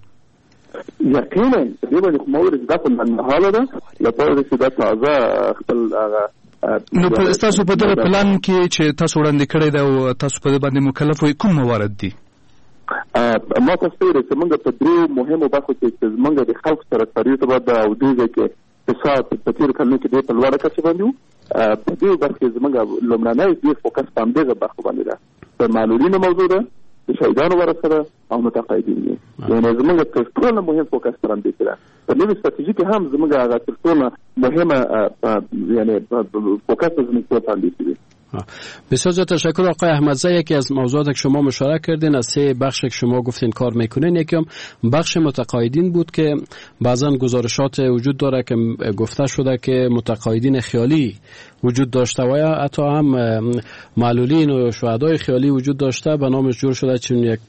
یقینا دې باندې خو ما ویل دا خو لنډمهاله ده لپاره چې دا تازه خپل هغه نو تاسو په دغه پلان کې چې تاسو وړاندې کړی دی او تاسو په دې باندې مکلف وئ کوم موارد دي؟ ما تاسو ته ویل چې موږ په درېو مهمو برخو کې چې زموږ د خلکو سره کاري ارتباط ده او دې ځای کې فساد په تېرو کلونو کې ډېر په لوړه کچه باندې و، په دې برخه کې زموږ لومړنی ډېر فوکس په همدغه برخو باندې ده. د معلولینو موضوع ده، د شهیدانو ورثه ده او متقاعدین دي. یعنی زموږ تر ټولو مهم فوکس پر همدې کې ده. په نوې ستراتیژي کې هم زموږ هغه تر ټولو مهمه یعنی فوکس زموږ په همدې کې دی. بسیار زیاد تشکر آقای احمدزی. یکی از موضوعات که شما مشاره کردین از سه بخش که شما گفتین کار میکنین، یکی هم بخش متقاعدین بود که بعضا گزارشات وجود داره که گفته شده که متقاعدین خیالی وجود داشته و یا حتی هم معلولین و شهدای خیالی وجود داشته به نامش جور شده، چون یک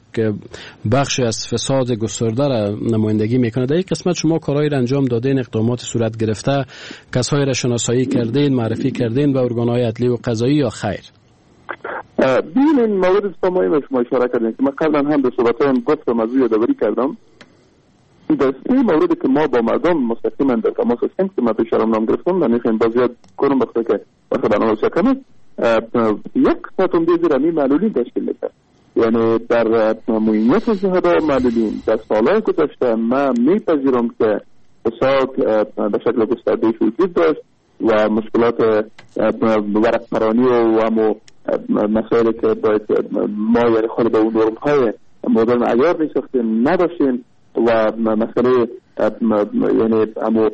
بخش از فساد گسترده را نمایندگی میکنه. در این قسمت شما کارهایی را انجام دادین، اقدامات صورت گرفته، کسایی را شناسایی کردین، معرفی کردین به ارگان‌های عدلی و قضایی یا خیر؟ ببینین مورد مهم شما اشاره کردین که من قبلا هم در صحبت‌هایم گفتم، از او یادآوری کردم. در سه مورد که ما با مردم مستقیما در تماس هستیم که من پیش نام گرفتم، من میخوایم باز یاد کنم بخاطر که وقت برنامه بسیار کم است. یک قسمت عمده زیر همین معلولین تشکیل میده. یعنی در معینیت شهدا معلولین در سالهای گذشته من میپذیرم که فساد به شکل گسترده وجود داشت و مشکلات ورق پرانی و همو مسائلی که باید ما یعنی خود به اون نرم های مدرن عیار میساختیم نداشتیم و مسئله یعنی همو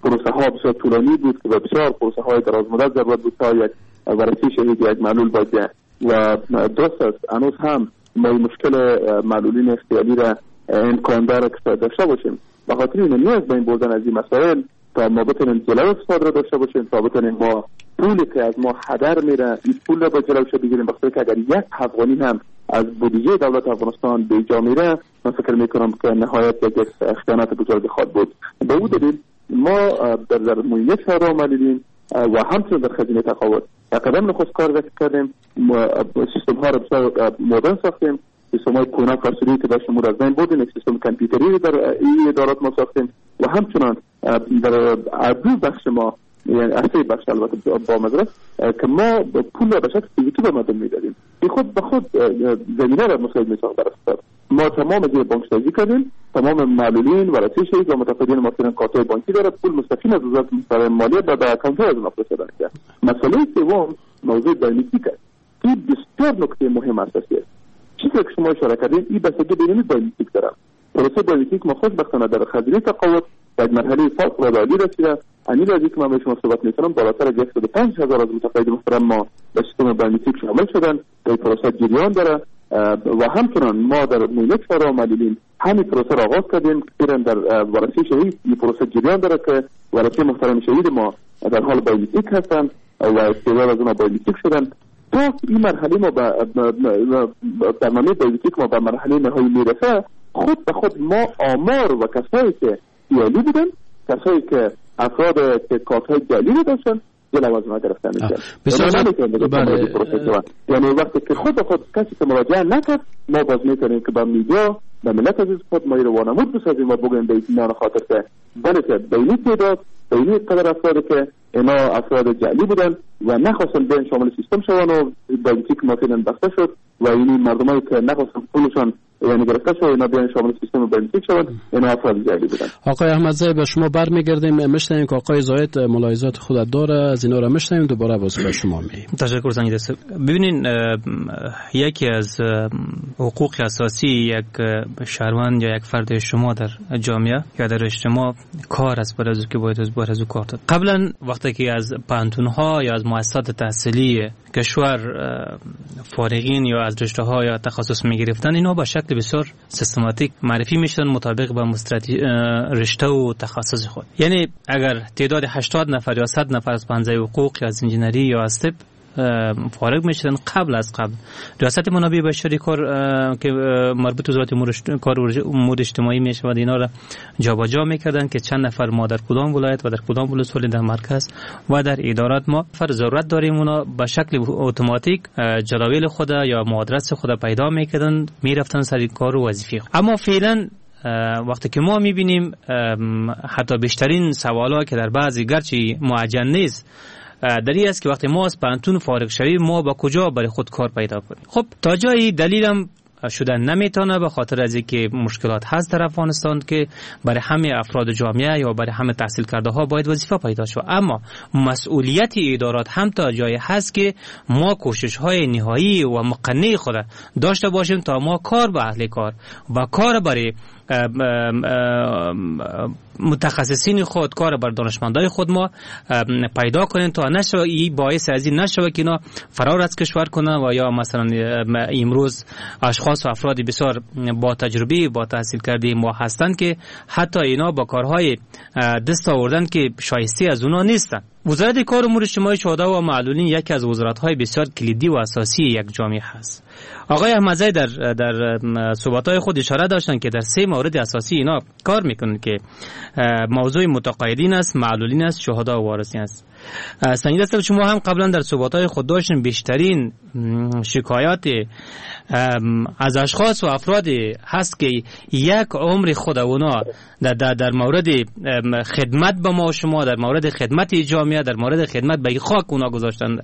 پروسه ها بسیار طولانی بود که بسیار پروسه های دراز مدت ضرورت بود تا یک ورثه شهید یک معلول باید و درست است هنوز هم ما مشکل معلولین اختیاری را امکان داره که داشته باشیم. به خاطر این نیاز به این بردن از این مسائل تا ما بتونیم جلو فساد را داشته باشیم، تا بتونیم ما پولی که از ما هدر میره این پول را با جلوش بگیریم. بخاطر که اگر یک افغانی هم از بودجه دولت افغانستان به جا میره، من فکر میکنم که نهایت یک خیانت بزرگ خواهد بود. به او دلیل ما در در معینیت شهدا معلولین و همچنین در خزینه تقاعد قدم نخست کار کردیم، سیستم ها را بسیار مدرن ساختیم، سیستم های کهنه فرسودی که داشتیم را از بین بردیم، یک سیستم کامپیوتری در این ادارات ما ساختیم و همچنان در دو بخش ما، یعنی اصلی بخش البته با مدرس، که ما پول را به شکل فیزیکی به مردم میدادیم. این خود به خود زمینه را مساعد میساخت بر اقتصاد. ما تمام زیر بانک سازی کردیم، تمام معلولین ورثه شهید و متقاعدین ما فعلا کارت‌های بانکی داره، پول مستقیم از وزارت محترم مالیه به اکانت از اونها فرستاده میشه. مسئله سوم موضوع بایومتریک است. این بسیار نکته مهم اساسی است. چیزی که شما اشاره کردین این بستگی به اینمی بایومتریک داره. پروسه بایومتریک ما خوشبختانه در خزینه تقاعد در مرحله فوق العاده عالی رسیده. همین لحظه که من به شما صحبت میکنم بالاتر از صد و پنج هزار از متقاعد محترم ما به سیستم بایومتریک شامل شدن و این پروسه جریان داره و همچنان ما در معینیت شهدا معلولین همین پروسه را آغاز کردیم. فعلا در ورثه شهید این پروسه جریان داره که ورثه محترم شهید ما در حال بایومتریک هستند و استعداد از اونها بایومتریک شدن. تا این مرحله ما به برنامه بایومتریک ما به مرحله نهایی میرسه، خود به خود ما آمار و کسایی که جعلی بودن، کسایی که افراد که کارت‌های جعلی رو داشتن جلو از ما گرفته میشه. بسیار بله. یعنی وقتی که خود خود کسی که مراجعه نکرد، ما باز میتونیم که با میدیا به ملت عزیز خود ما رو وانمود بسازیم و بگوییم به اطمینان خاطر که بله که بینی تعداد بینی قدر افراد که اینا افراد جعلی بودن و نخواستن بیان شامل سیستم شوند و بایومتریک ما فعلا بسته شد و این مردمایی که نخواستن پولشان یعنی گرفته شد اینا بیان شامل سیستم بایومتریک شوند، اینا افراد جعلی بودن. آقای احمدزی به شما برمیگردیم، میشنویم که آقای زاهد ملاحظات خود داره، از اینا را میشنویم، دوباره باز به شما می‌ایم. تشکر زنگ دست. ببینین یکی از حقوق اساسی یک شهروند یا یک فرد شما در جامعه یا در اجتماع کار است، برای که باید از باید از کار داد. قبلا وقتی که از پوهنتون‌ها یا از مؤسسات تحصیلی کشور فارغین یا از رشته‌ها یا تخصص می‌گرفتن، اینا با شکل بسیار سیستماتیک معرفی می‌شدن مطابق با رشته و تخصص خود. یعنی اگر تعداد هشتاد نفر یا صد نفر از پنځه حقوق یا از انجینری یا از طب فارغ میشدن، قبل از قبل ریاست منابع بشری کار که مربوط به وزارت کار امور اجتماعی میشود اینا را جابجا میکردن که چند نفر ما در کدام ولایت و در کدام ولسوالی در مرکز و در ادارات ما فر ضرورت داریم، اونا به شکل اتوماتیک جداول خود یا معادلات خود پیدا میکردن، میرفتن سر کار و وظیفه. اما فعلا وقتی که ما میبینیم حتی بیشترین سوالا که در بعضی گرچه معجن نیست در این است که وقتی ما از پانتون فارغ شویم ما با کجا برای خود کار پیدا کنیم. خب تا جایی دلیلم شدن نمیتونه، به خاطر از اینکه مشکلات هست در افغانستان که برای همه افراد جامعه یا برای همه تحصیل کرده ها باید وظیفه پیدا شود، اما مسئولیت ادارات هم تا جایی هست که ما کوشش های نهایی و مقنع خود داشته باشیم تا ما کار به اهل کار و کار برای متخصصین خود، کار بر دانشمندای خود ما پیدا کنیم تا نشوه این باعث از این نشوه که اینا فرار از کشور کنن و یا مثلا امروز اشخاص و افراد بسیار با تجربه با تحصیل کرده ما هستند که حتی اینا با کارهای دست آوردن که شایسته از اونا نیستن. وزارت کار امور اجتماعی شهدا و معلولین یکی از وزارت‌های بسیار کلیدی و اساسی یک جامعه هست. آقای احمدزی در در صحبت‌های خود اشاره داشتند که در سه مورد اساسی اینا کار میکنند که موضوع متقاعدین است، معلولین است، شهدا و وارثین است. سنجید است شما هم قبلا در صحبت‌های خود داشتین بیشترین شکایات از اشخاص و افراد هست که یک عمر خود اونا در, در, در مورد خدمت به ما و شما، در مورد خدمت جامعه، در مورد خدمت به خاک اونا گذاشتن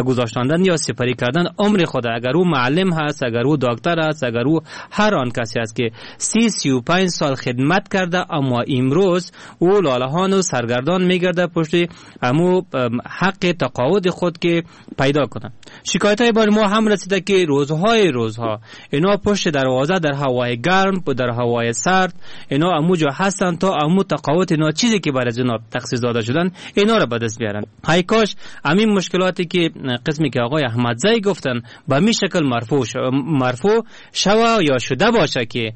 گذاشتن یا سپری کردن عمر خود، اگر او معلم هست، اگر او دکتر هست، اگر او هر آن کسی هست که سی سی و پنج سال خدمت کرده، اما امروز او لالهان و سرگردان میگرده پشت امو حق تقاعد خود که پیدا کنه. شکایت های بر ما هم رسیده که روزهای روزها اینا پشت دروازه در هوای گرم و در هوای سرد اینا اموجا هستن تا امو تقاعد اینا چیزی که برای اینا تخصیص داده شدن اینا را به دست بیارن. ای کاش همین مشکلاتی که قسمی که آقای احمدزی گفتن به می شکل مرفوع مرفوع مرفوع شوه یا شده باشه که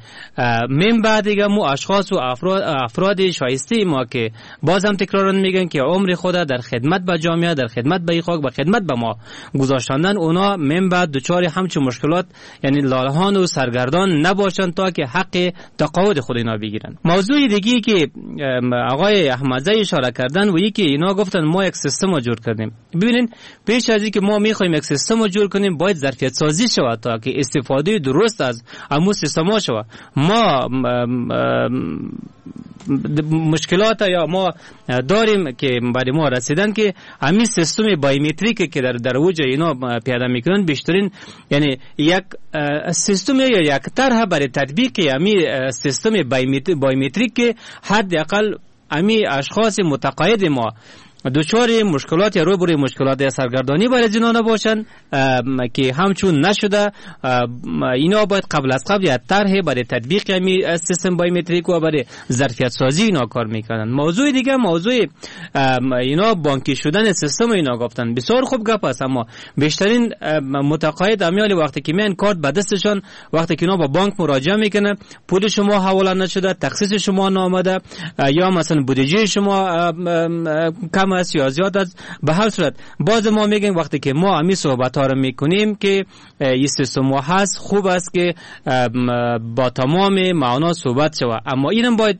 من بعد دیگه مو اشخاص و افراد افراد شایسته ما که بازم تکرارن میگن که عمر خود در خدمت به جامعه، در خدمت به خاک، به خدمت به ما گذاشتندن، اونا من بعد دچار همچون مشکلات یعنی لالهان و سرگردان نباشن تا که حق تقاعد خود اینا بگیرن. موضوع دیگه که آقای احمدزی اشاره کردن و یکی اینا گفتن ما یک سیستم رو جور کردیم. ببینین پیش از اینکه ما میخوایم یک سیستم رو جور کنیم باید ظرفیت سازی شود تا که استفاده درست از امو سیستم ها شود. ما مشکلات یا ما داریم که برای ما رسیدن که همین سیستم biometric که در در اوج اینا پیاده میکنن بیشترین یعنی یک سیستم یا یک طرح برای تطبیق همین سیستم biometric که حداقل همین اشخاص متقاعد ما دچار مشکلات یا روبروی مشکلات سرگردانی برای اینا نباشن که همچون نشده. اینا باید قبل از قبل یا طرح برای تطبیق همی سیستم biometric و برای ظرفیت سازی اینا کار میکنن. موضوع دیگه موضوع اینا بانکی شدن سیستم اینا گفتن بسیار خوب گپ است، اما بیشترین متقاعد امیال وقتی که میان کارت به دستشان، وقتی که اینا با بانک مراجعه میکنه پول شما حواله نشده، تخصیص شما نامده، یا مثلا بودجه شما کم است یا زیاد است. به هر صورت باز ما میگیم وقتی که ما همین صحبت ها رو میکنیم که این سیستم هست، خوب است که با تمام معنا صحبت شود، اما اینم باید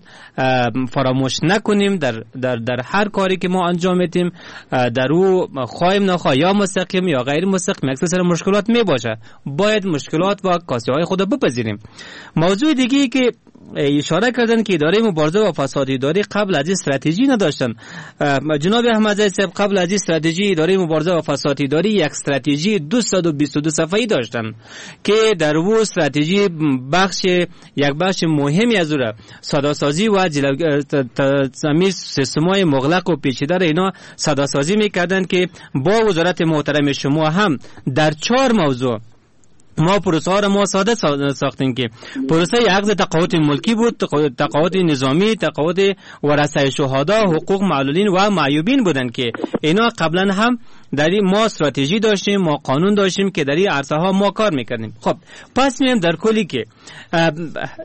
فراموش نکنیم در در در هر کاری که ما انجام میدیم در او خواهیم نخواه یا مستقیم یا غیر مستقیم یک سلسله مشکلات میباشه، باید مشکلات و کاستی های خود بپذیریم. موضوع دیگه که اشاره کردن که اداره مبارزه با فساد اداری قبل از استراتژی نداشتن. جناب احمدزی صاحب قبل از استراتژی اداره مبارزه با فساد اداری یک استراتژی دویست و بیست و دو صفحه‌ای داشتن که در او استراتژی بخش یک بخش مهمی از او ساده‌سازی و جلوگیری سیستم‌های مغلق و پیچیده را اینا ساده‌سازی می‌کردند که با وزارت محترم شما هم در چهار موضوع ما پروسه ها را ما ساده ساختیم که پروسه عقد تقاعد ملکی بود، تقاعد نظامی، تقاعد ورثه شهدا، حقوق معلولین و معیوبین بودند که اینا قبلا هم در ما استراتژی داشتیم، ما قانون داشتیم که در این عرصه ها ما کار میکردیم. خب پس میم در کلی که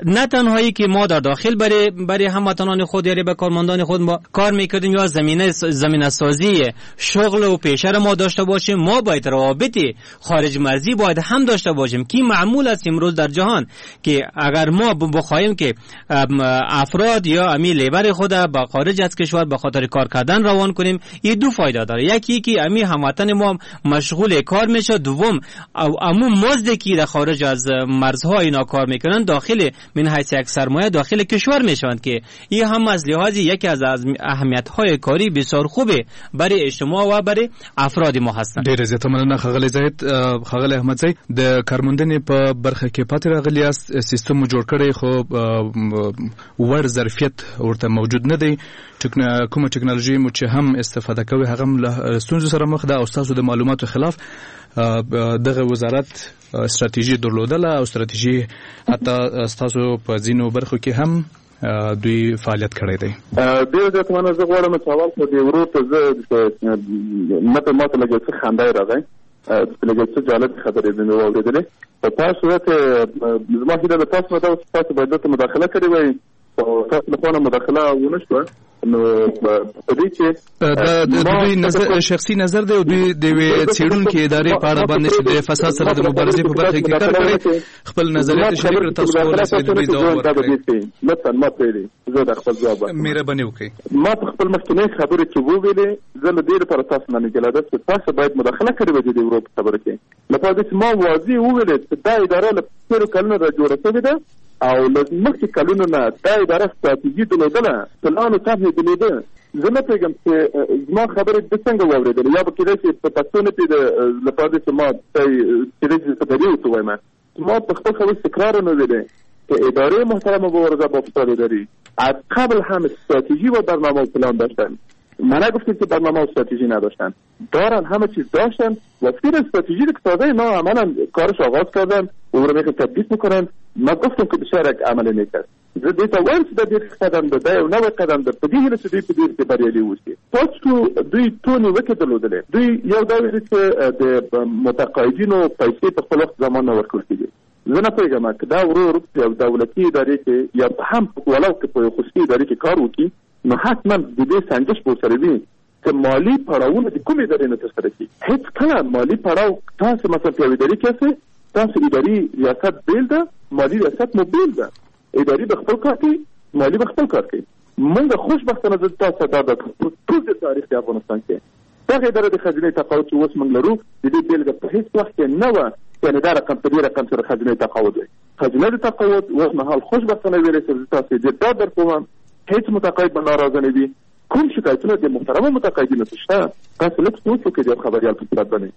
نه تنهایی که ما در داخل برای برای هموطنان خود یا به کارمندان خود ما کار میکردیم یا زمینه زمینه سازی شغل و پیشه را ما داشته باشیم، ما باید روابط خارج مرزی باید هم داشته باشیم که معمول است امروز در جهان که اگر ما بخواهیم که افراد یا امی لیبر خود با خارج از کشور به خاطر کار کردن روان کنیم، این دو فایده داره. یکی که امی هموطن ما مشغول کار میشه، دوم امو مزد که در خارج از مرزها اینا کار میکنن داخل من حیث یک سرمایه داخل کشور میشوند که این هم از لحاظ یکی از اهمیت های کاری بسیار خوبه برای اجتماع و برای افراد ما هستند. ډیر زیاته مننه ښاغلی زاهد. ښاغلی احمدزی، د کارموندنې په برخه کې پاتې راغلی یاست، سیستم مو جوړ کړی خو وړ ظرفیت ورته موجود نه دی، کومه ټکنالوژي مو چې هم استفاده کوي هغه هم له ستونزو سره مخ ده او ستاسو د معلوماتو خلاف دغه وزارت استراتیژي درلودله او استراتیژي حتی ستاسو په ځینو برخو کې هم دوی فعالیت کړی دی. ډېر زیات مننه. زه غواړم چې اول خو دې ورور ته زه ماته ماته لږ څه خندا یې راغی، لږ څه جالب خبرې مې واورېدلې. په تاسو صورت زما هیله له تاسو نه ده چې تاسو باید دلته مداخله کړې وای، خو تاسو له خوا نه مداخله ونه شوه. نو په دې چې دا د دوی نظر شخصي نظر دی او دوی د یوې څېړونکې ادارې په اړه باندې چې د فساد سره د مبارزې په برخه کې کار کوي خپل نظریات شریک کړل، تاسو کولای شئ د دوی ځواب ورکړئ. لطفاً ما پرېږدئ زه د خپل ځواب ورکړم. مهرباني وکړئ. ما په خپل مخکینۍ خبرې کې وویلې، زه له دې لپاره تاسو نه ګیله ده چې تاسو باید مداخله کړې وای د دې ورور په خبرو کې، لپاره دې چې ما واضح وویلې چې دا اداره له تېرو کلونو را جوړه شوې ده او له مخکې کلونو نه دا اداره ستراتیژي درلودله، پلان او طرح یې درلوده. زه نه پوهېږم چې زما خبرې ده څنګه واورېدلې، یا به کېدای شي په پښتو نه پوهېده، لپاره دې چې ما کېدای شي په دري ورته ووایم. ما په خپل خبرو تکرار نه ویلې که اداره محترم مبارزه با فساد اداری از قبل هم استراتژی و برنامه و پلان داشتن. من نگفتیم که برنامه و استراتژی نداشتن، دارن، همه چیز داشتن و فیر استراتژی که تازه اینا عملا کارش آغاز کردن و او رو میخوان تطبیق میکنن. ما گفتم که بسیار یک عمل نیک است. زه دې ته وایم چې دا ډېر ښه قدم ده، دا یو نوی قدم ده، په دې هیله چې دوی په دې کې بریالي اوسي. تاسو دوی څو نیوکې درلودلې، دوی یو دا ویل چې د متقاعدینو پیسې په خپل وخت زمان نه ورکول کېږي. زه نه پوهېږم که دا ورور په یو دولتي ادارې کې یا هم ولو که په یو خصوصي ادارې کې کار وکړي، نو حتما د دې سنجش به ورسره وي چې مالي پړاوونه د کومې ادارې نه ترسره کېږي. هېڅکله مالي پړاو تاسو مثلا په یوې ادارې کې یاستئ، تاسو اداري ریاست بېل ده، مالي ریاست مو بېل ده. اداري به خپل کار کوي، مالي به خپل کار کوي. موږ خوشبختانه زه تاسو ته دا د ټول د تاریخ د افغانستان کې دغه اداره د خزینې تقاعد چې اوس موږ لرو، د دې بېلګه په هېڅ وخت کې نه وه یعنې دا رقم په دې رقم سره خزینې تقاعد وي. خزینه د تقاعد اوس مهال خوشبختانه ویلی شم زه تاسو ډېر ډاډ درکوم، هېڅ متقاعد به ناراضه نه وي. کوم شکایتونه د محترمو متقاعدینو څخه شته، تاسو لږ سوچ وکړئ د یو خبریال په صورت باندې،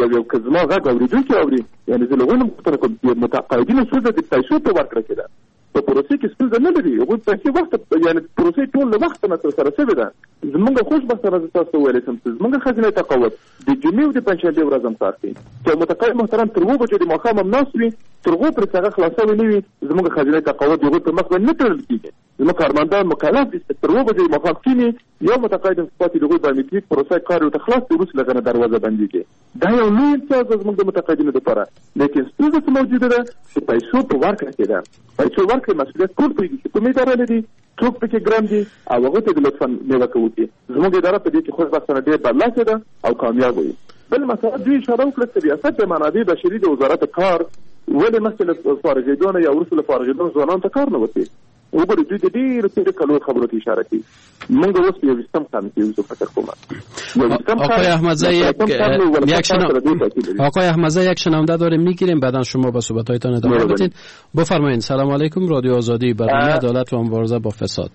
یو یو که زما غږ اورېدونکي اوري، یعنې زه له هغوی نه پوښتنه کوم، د متقاعدینو ستونزه د پیسو په ورکړه کې ده، په پروسې کې ستونزه نه لري. هغوی پیسې وخت یعنې پروسې ټول له وخته نه ترسره شوې ده. زموږ خوشبختانه زه تاسو ته ویلی شم چې زموږ خزینه تقاعد د جمعې او د پنجشنبې ورځ هم کار کوي، چې متقاعد محترم تر اوو بجو د ماښام هم ناست وي، تر هغو پورې چې هغه خلاصه نه وي زموږ خزینه تقاعد د هغوی پر مخ باندې نه تړل کېږي. زموږ کارمندان مکلف دي چې تر اوو بجو د ماښام کښېني، یو متقاعد هم پاتې د هغوی بایومتریک پروسه کار ورته خلاص دی، وروسته له هغه نه دروازه بندېږي. دا یو لوی امتیاز ده زموږ د متقاعدینو لپاره. لیکن ستونزه څه موجوده ده چې پیسو په ورکړه کې ده. پیسو ورکړې مسؤلیت ټول پوهېږي چې کومې اداره لري، څوک پکې ګرم دي او هغه ته د لطفاً نیوکه وکړي. زموږ اداره په دې کې خوشبختانه ډېر برلاسې ده او کامیاب وي. بل مسله دوی اشاره وکړه چې ریاست د منابع بشري د وزارت کار ولې مخکې له فارغېدو نه یا وروسته له فارغېدو ځوانانو ته کار نه ورکوي. وګورئ دوی د ډېرو تېرو کلو خبرو ته اشاره کوي. موږ اوس په یوویشتم قرن کې یو، زه فکر کوم آقای احمدزی یک یک شنا... آقای احمدزی یک شنونده داریم میگیریم، بعدا شما با صحبت‌هایتان ادامه بدین. بفرمایید. سلام علیکم، رادیو آزادی، برنامه عدالت و مبارزه با فساد.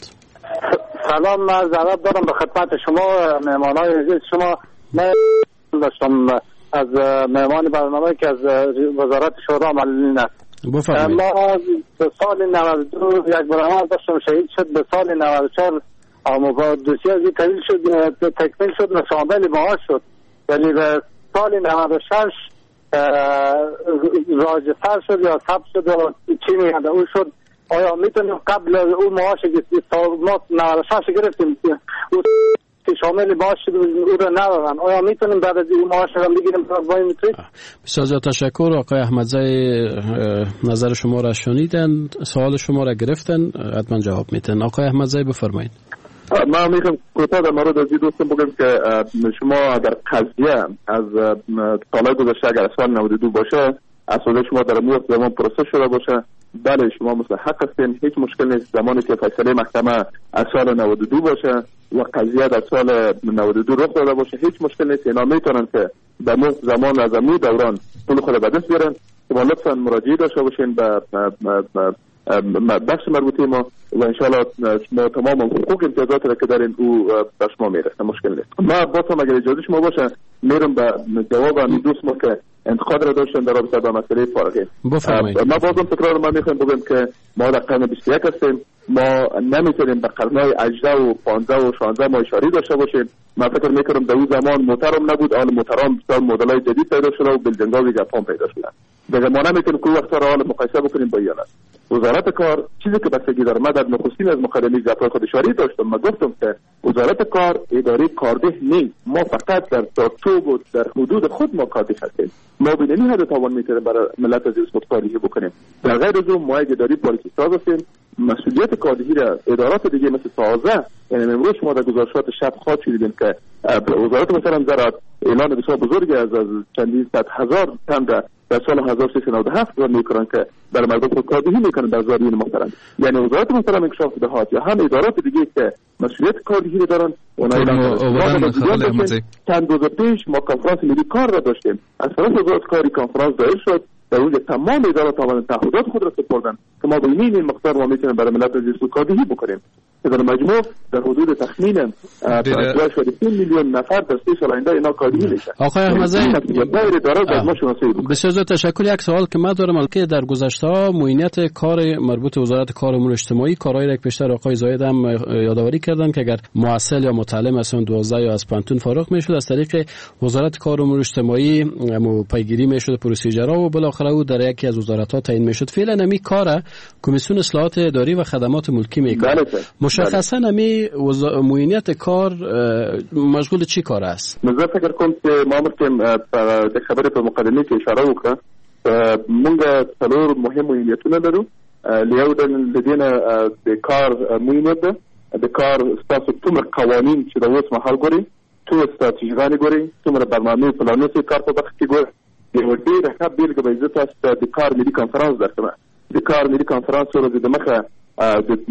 سلام، من عرض دارم به خدمت شما مهمانای عزیز. شما من داشتم از مهمان برنامه که از وزارت شورا معلولین است. بفرمایید. ما به سال نود و دو یک برنامه داشتم شهید شد، به سال نود و چهار آموزا دوسیه از تکمیل شد، تکمیل شد و شامل معاش شد، ولی به سال نود و شش راجستر شد یا ثبت شد و چی میگن او شد. آیا میتونیم قبل او معاش که ما نود و شش گرفتیم او که شامل معاش شد او را ندادن، آیا میتونیم بعد از او معاش را بگیریم؟ بسیار زیاد تشکر آقای احمدزی، نظر شما را شنیدن، سوال شما را گرفتن، حتما جواب میتن. آقای احمدزی بفرمایید. من میخوام کوتاه در مورد از این دوستم بگم که شما اگر قضیه از سالهای گذشته اگر سال نود و دو باشه، اساس شما در مورد زمان پروسه شده باشه، بله شما مستحق هستین، هیچ مشکل نیست. زمانی که فیصله محکمه از سال نود و دو باشه و قضیه در سال نود و دو رخ داده باشه، هیچ مشکل نیست. اینا میتونن که در مورد زمان از امو دوران پول خود به دست بیارن. شما لطفاً مراجعه داشته باشین به بخش مربوطه ما و انشالله شما تمام حقوق امتیازات را که دارین او به شما میرسه، مشکل نیست. ما باز هم اگر اجازه شما باشه میرم به جواب همین دوست ما که انتقاد را داشتن در رابطه با مسئله فارغین. ما بازم تکرار ما میخوایم بگیم که ما در قرن بیست و یک هستیم، ما نمیتونیم به قرنهای هجده و پانزده و شانزده ما اشاره داشته باشیم. من فکر میکنم در اون زمان موترم نبود، آن موترام بسیار مدل‌های جدید پیدا شده و building ها و جاپان پیدا شده. دیگه ما نمیتونیم که وقت را حال مقایسه بکنیم با ایالت. وزارت کار چیزی که بستگی داره، من در نخستین از مقدمه گپ‌های خود اشاره داشتم، من گفتم که وزارت کار اداره کارده نیست، ما فقط در چارچوب و در حدود خود ما کارده هستیم. ما به این حد توان میتونیم برای ملت عزیز خود کاردهی بکنیم. در غیر از اون ما یک اداره پالیسی ساز هستیم، مسئولیت کاردهی را ادارات دیگه مثل تازه، یعنی امروز شما در گزارشات شب خواهد شدیدین که وزارت مثلا زراعت اعلان بسیار بزرگی از از چندین صد هزار تن را در سال هزار و سیصد و نود و هفت را میکنن که بر مردم خود کاردهی میکنن در زارین محترم. یعنی وزارت محترم انکشاف دهات یا هم ادارات دیگه که مسئولیت کاردهی را دارن اونها اعلان کردن. چند روز پیش ما کنفرانس ملی کار را داشتیم، از طرف وزارت کاری کنفرانس دایر شد، در اونجا تمام ادارات آمدن تعهدات خود را سپردن که ما به این مقدار ما میتونیم برای ملت عزیز کاردهی بکنیم. که در مجموع در حدود تخمین پنج میلیون نفر در سه سال آینده اینا کاردهی میشه. آقای احمدزی بسیار تشکر. یک سوال که من دارم که در گذشته ها معینیت کار مربوط وزارت کار امور اجتماعی کارهایی را که پیشتر آقای زاید هم یادآوری کردن که اگر محصل یا متعلم از دوازده یا از پانتون فارغ میشد از طریق وزارت کار امور اجتماعی پیگیری میشد procedure ها و بالاخره او در یکی از وزارت ها تعیین میشد. فعلا امی کار کمیسیون اصلاحات اداری و خدمات ملکی میکنه. بله. مشخصا امی معینیت کار مشغول چی کار است؟ زه فکر کوم چې ما مخکې د خبرې په مقدمه کې اشاره وکړه، موږ څلور مهم معینیتونه لرو. یو د دې نه د کار معینیت ده، د کار ستاسو څومره قوانین چې د اوس مهال ګوري، څومره ستراتیژیګانې ګوري، څومره برنامې پلانونه چې کار په برخه کې ګوري. یوه ډېره ښه بېلګه به زه تاسو ته د کار ملي کنفرانس درکړم. د کار ملي کنفرانس څو ورځې دمخه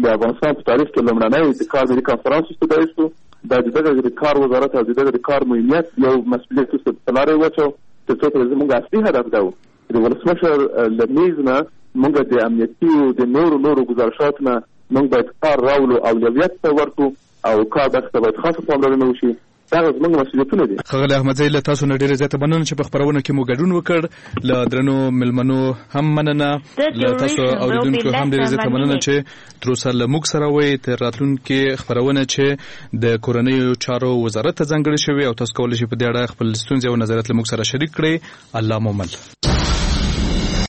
د افغانستان په تاریخ کې لومړنی د کار ملي کنفرانس چې دایر شو، دا د دغه د کار وزارت او د دغه د کار معینیت یو مسؤلیت چې په لاره یې واچو، تر څو پورې زموږ اصلي هدف دا و د ولسمشر له میز نه موږ د امنیتي او د نورو نورو ګزارشاتو نه موږ باید کار راولو، اولویت ته ورکړو او کار برخې ته باید خاصه پاملرنه وشي. دا زموږ مسؤلیتونه دي. ښاغلی احمدزی، له تاسو نه ډېره زیاته مننه چې په خپرونه کې مو ګډون وکړ. له درنو مېلمنو هم مننه، له تاسو اورېدونکو هم ډېره زیاته مننه چې تر اوسه له موږ سره وئ. تر راتلونکې خپرونه چې د کورنیو چارو وزارت ته ځانګړې شوې او تاسو کولی شئ په دې اړه خپل ستونزې او نظریات له موږ سره شریک کړئ. الله مو مل.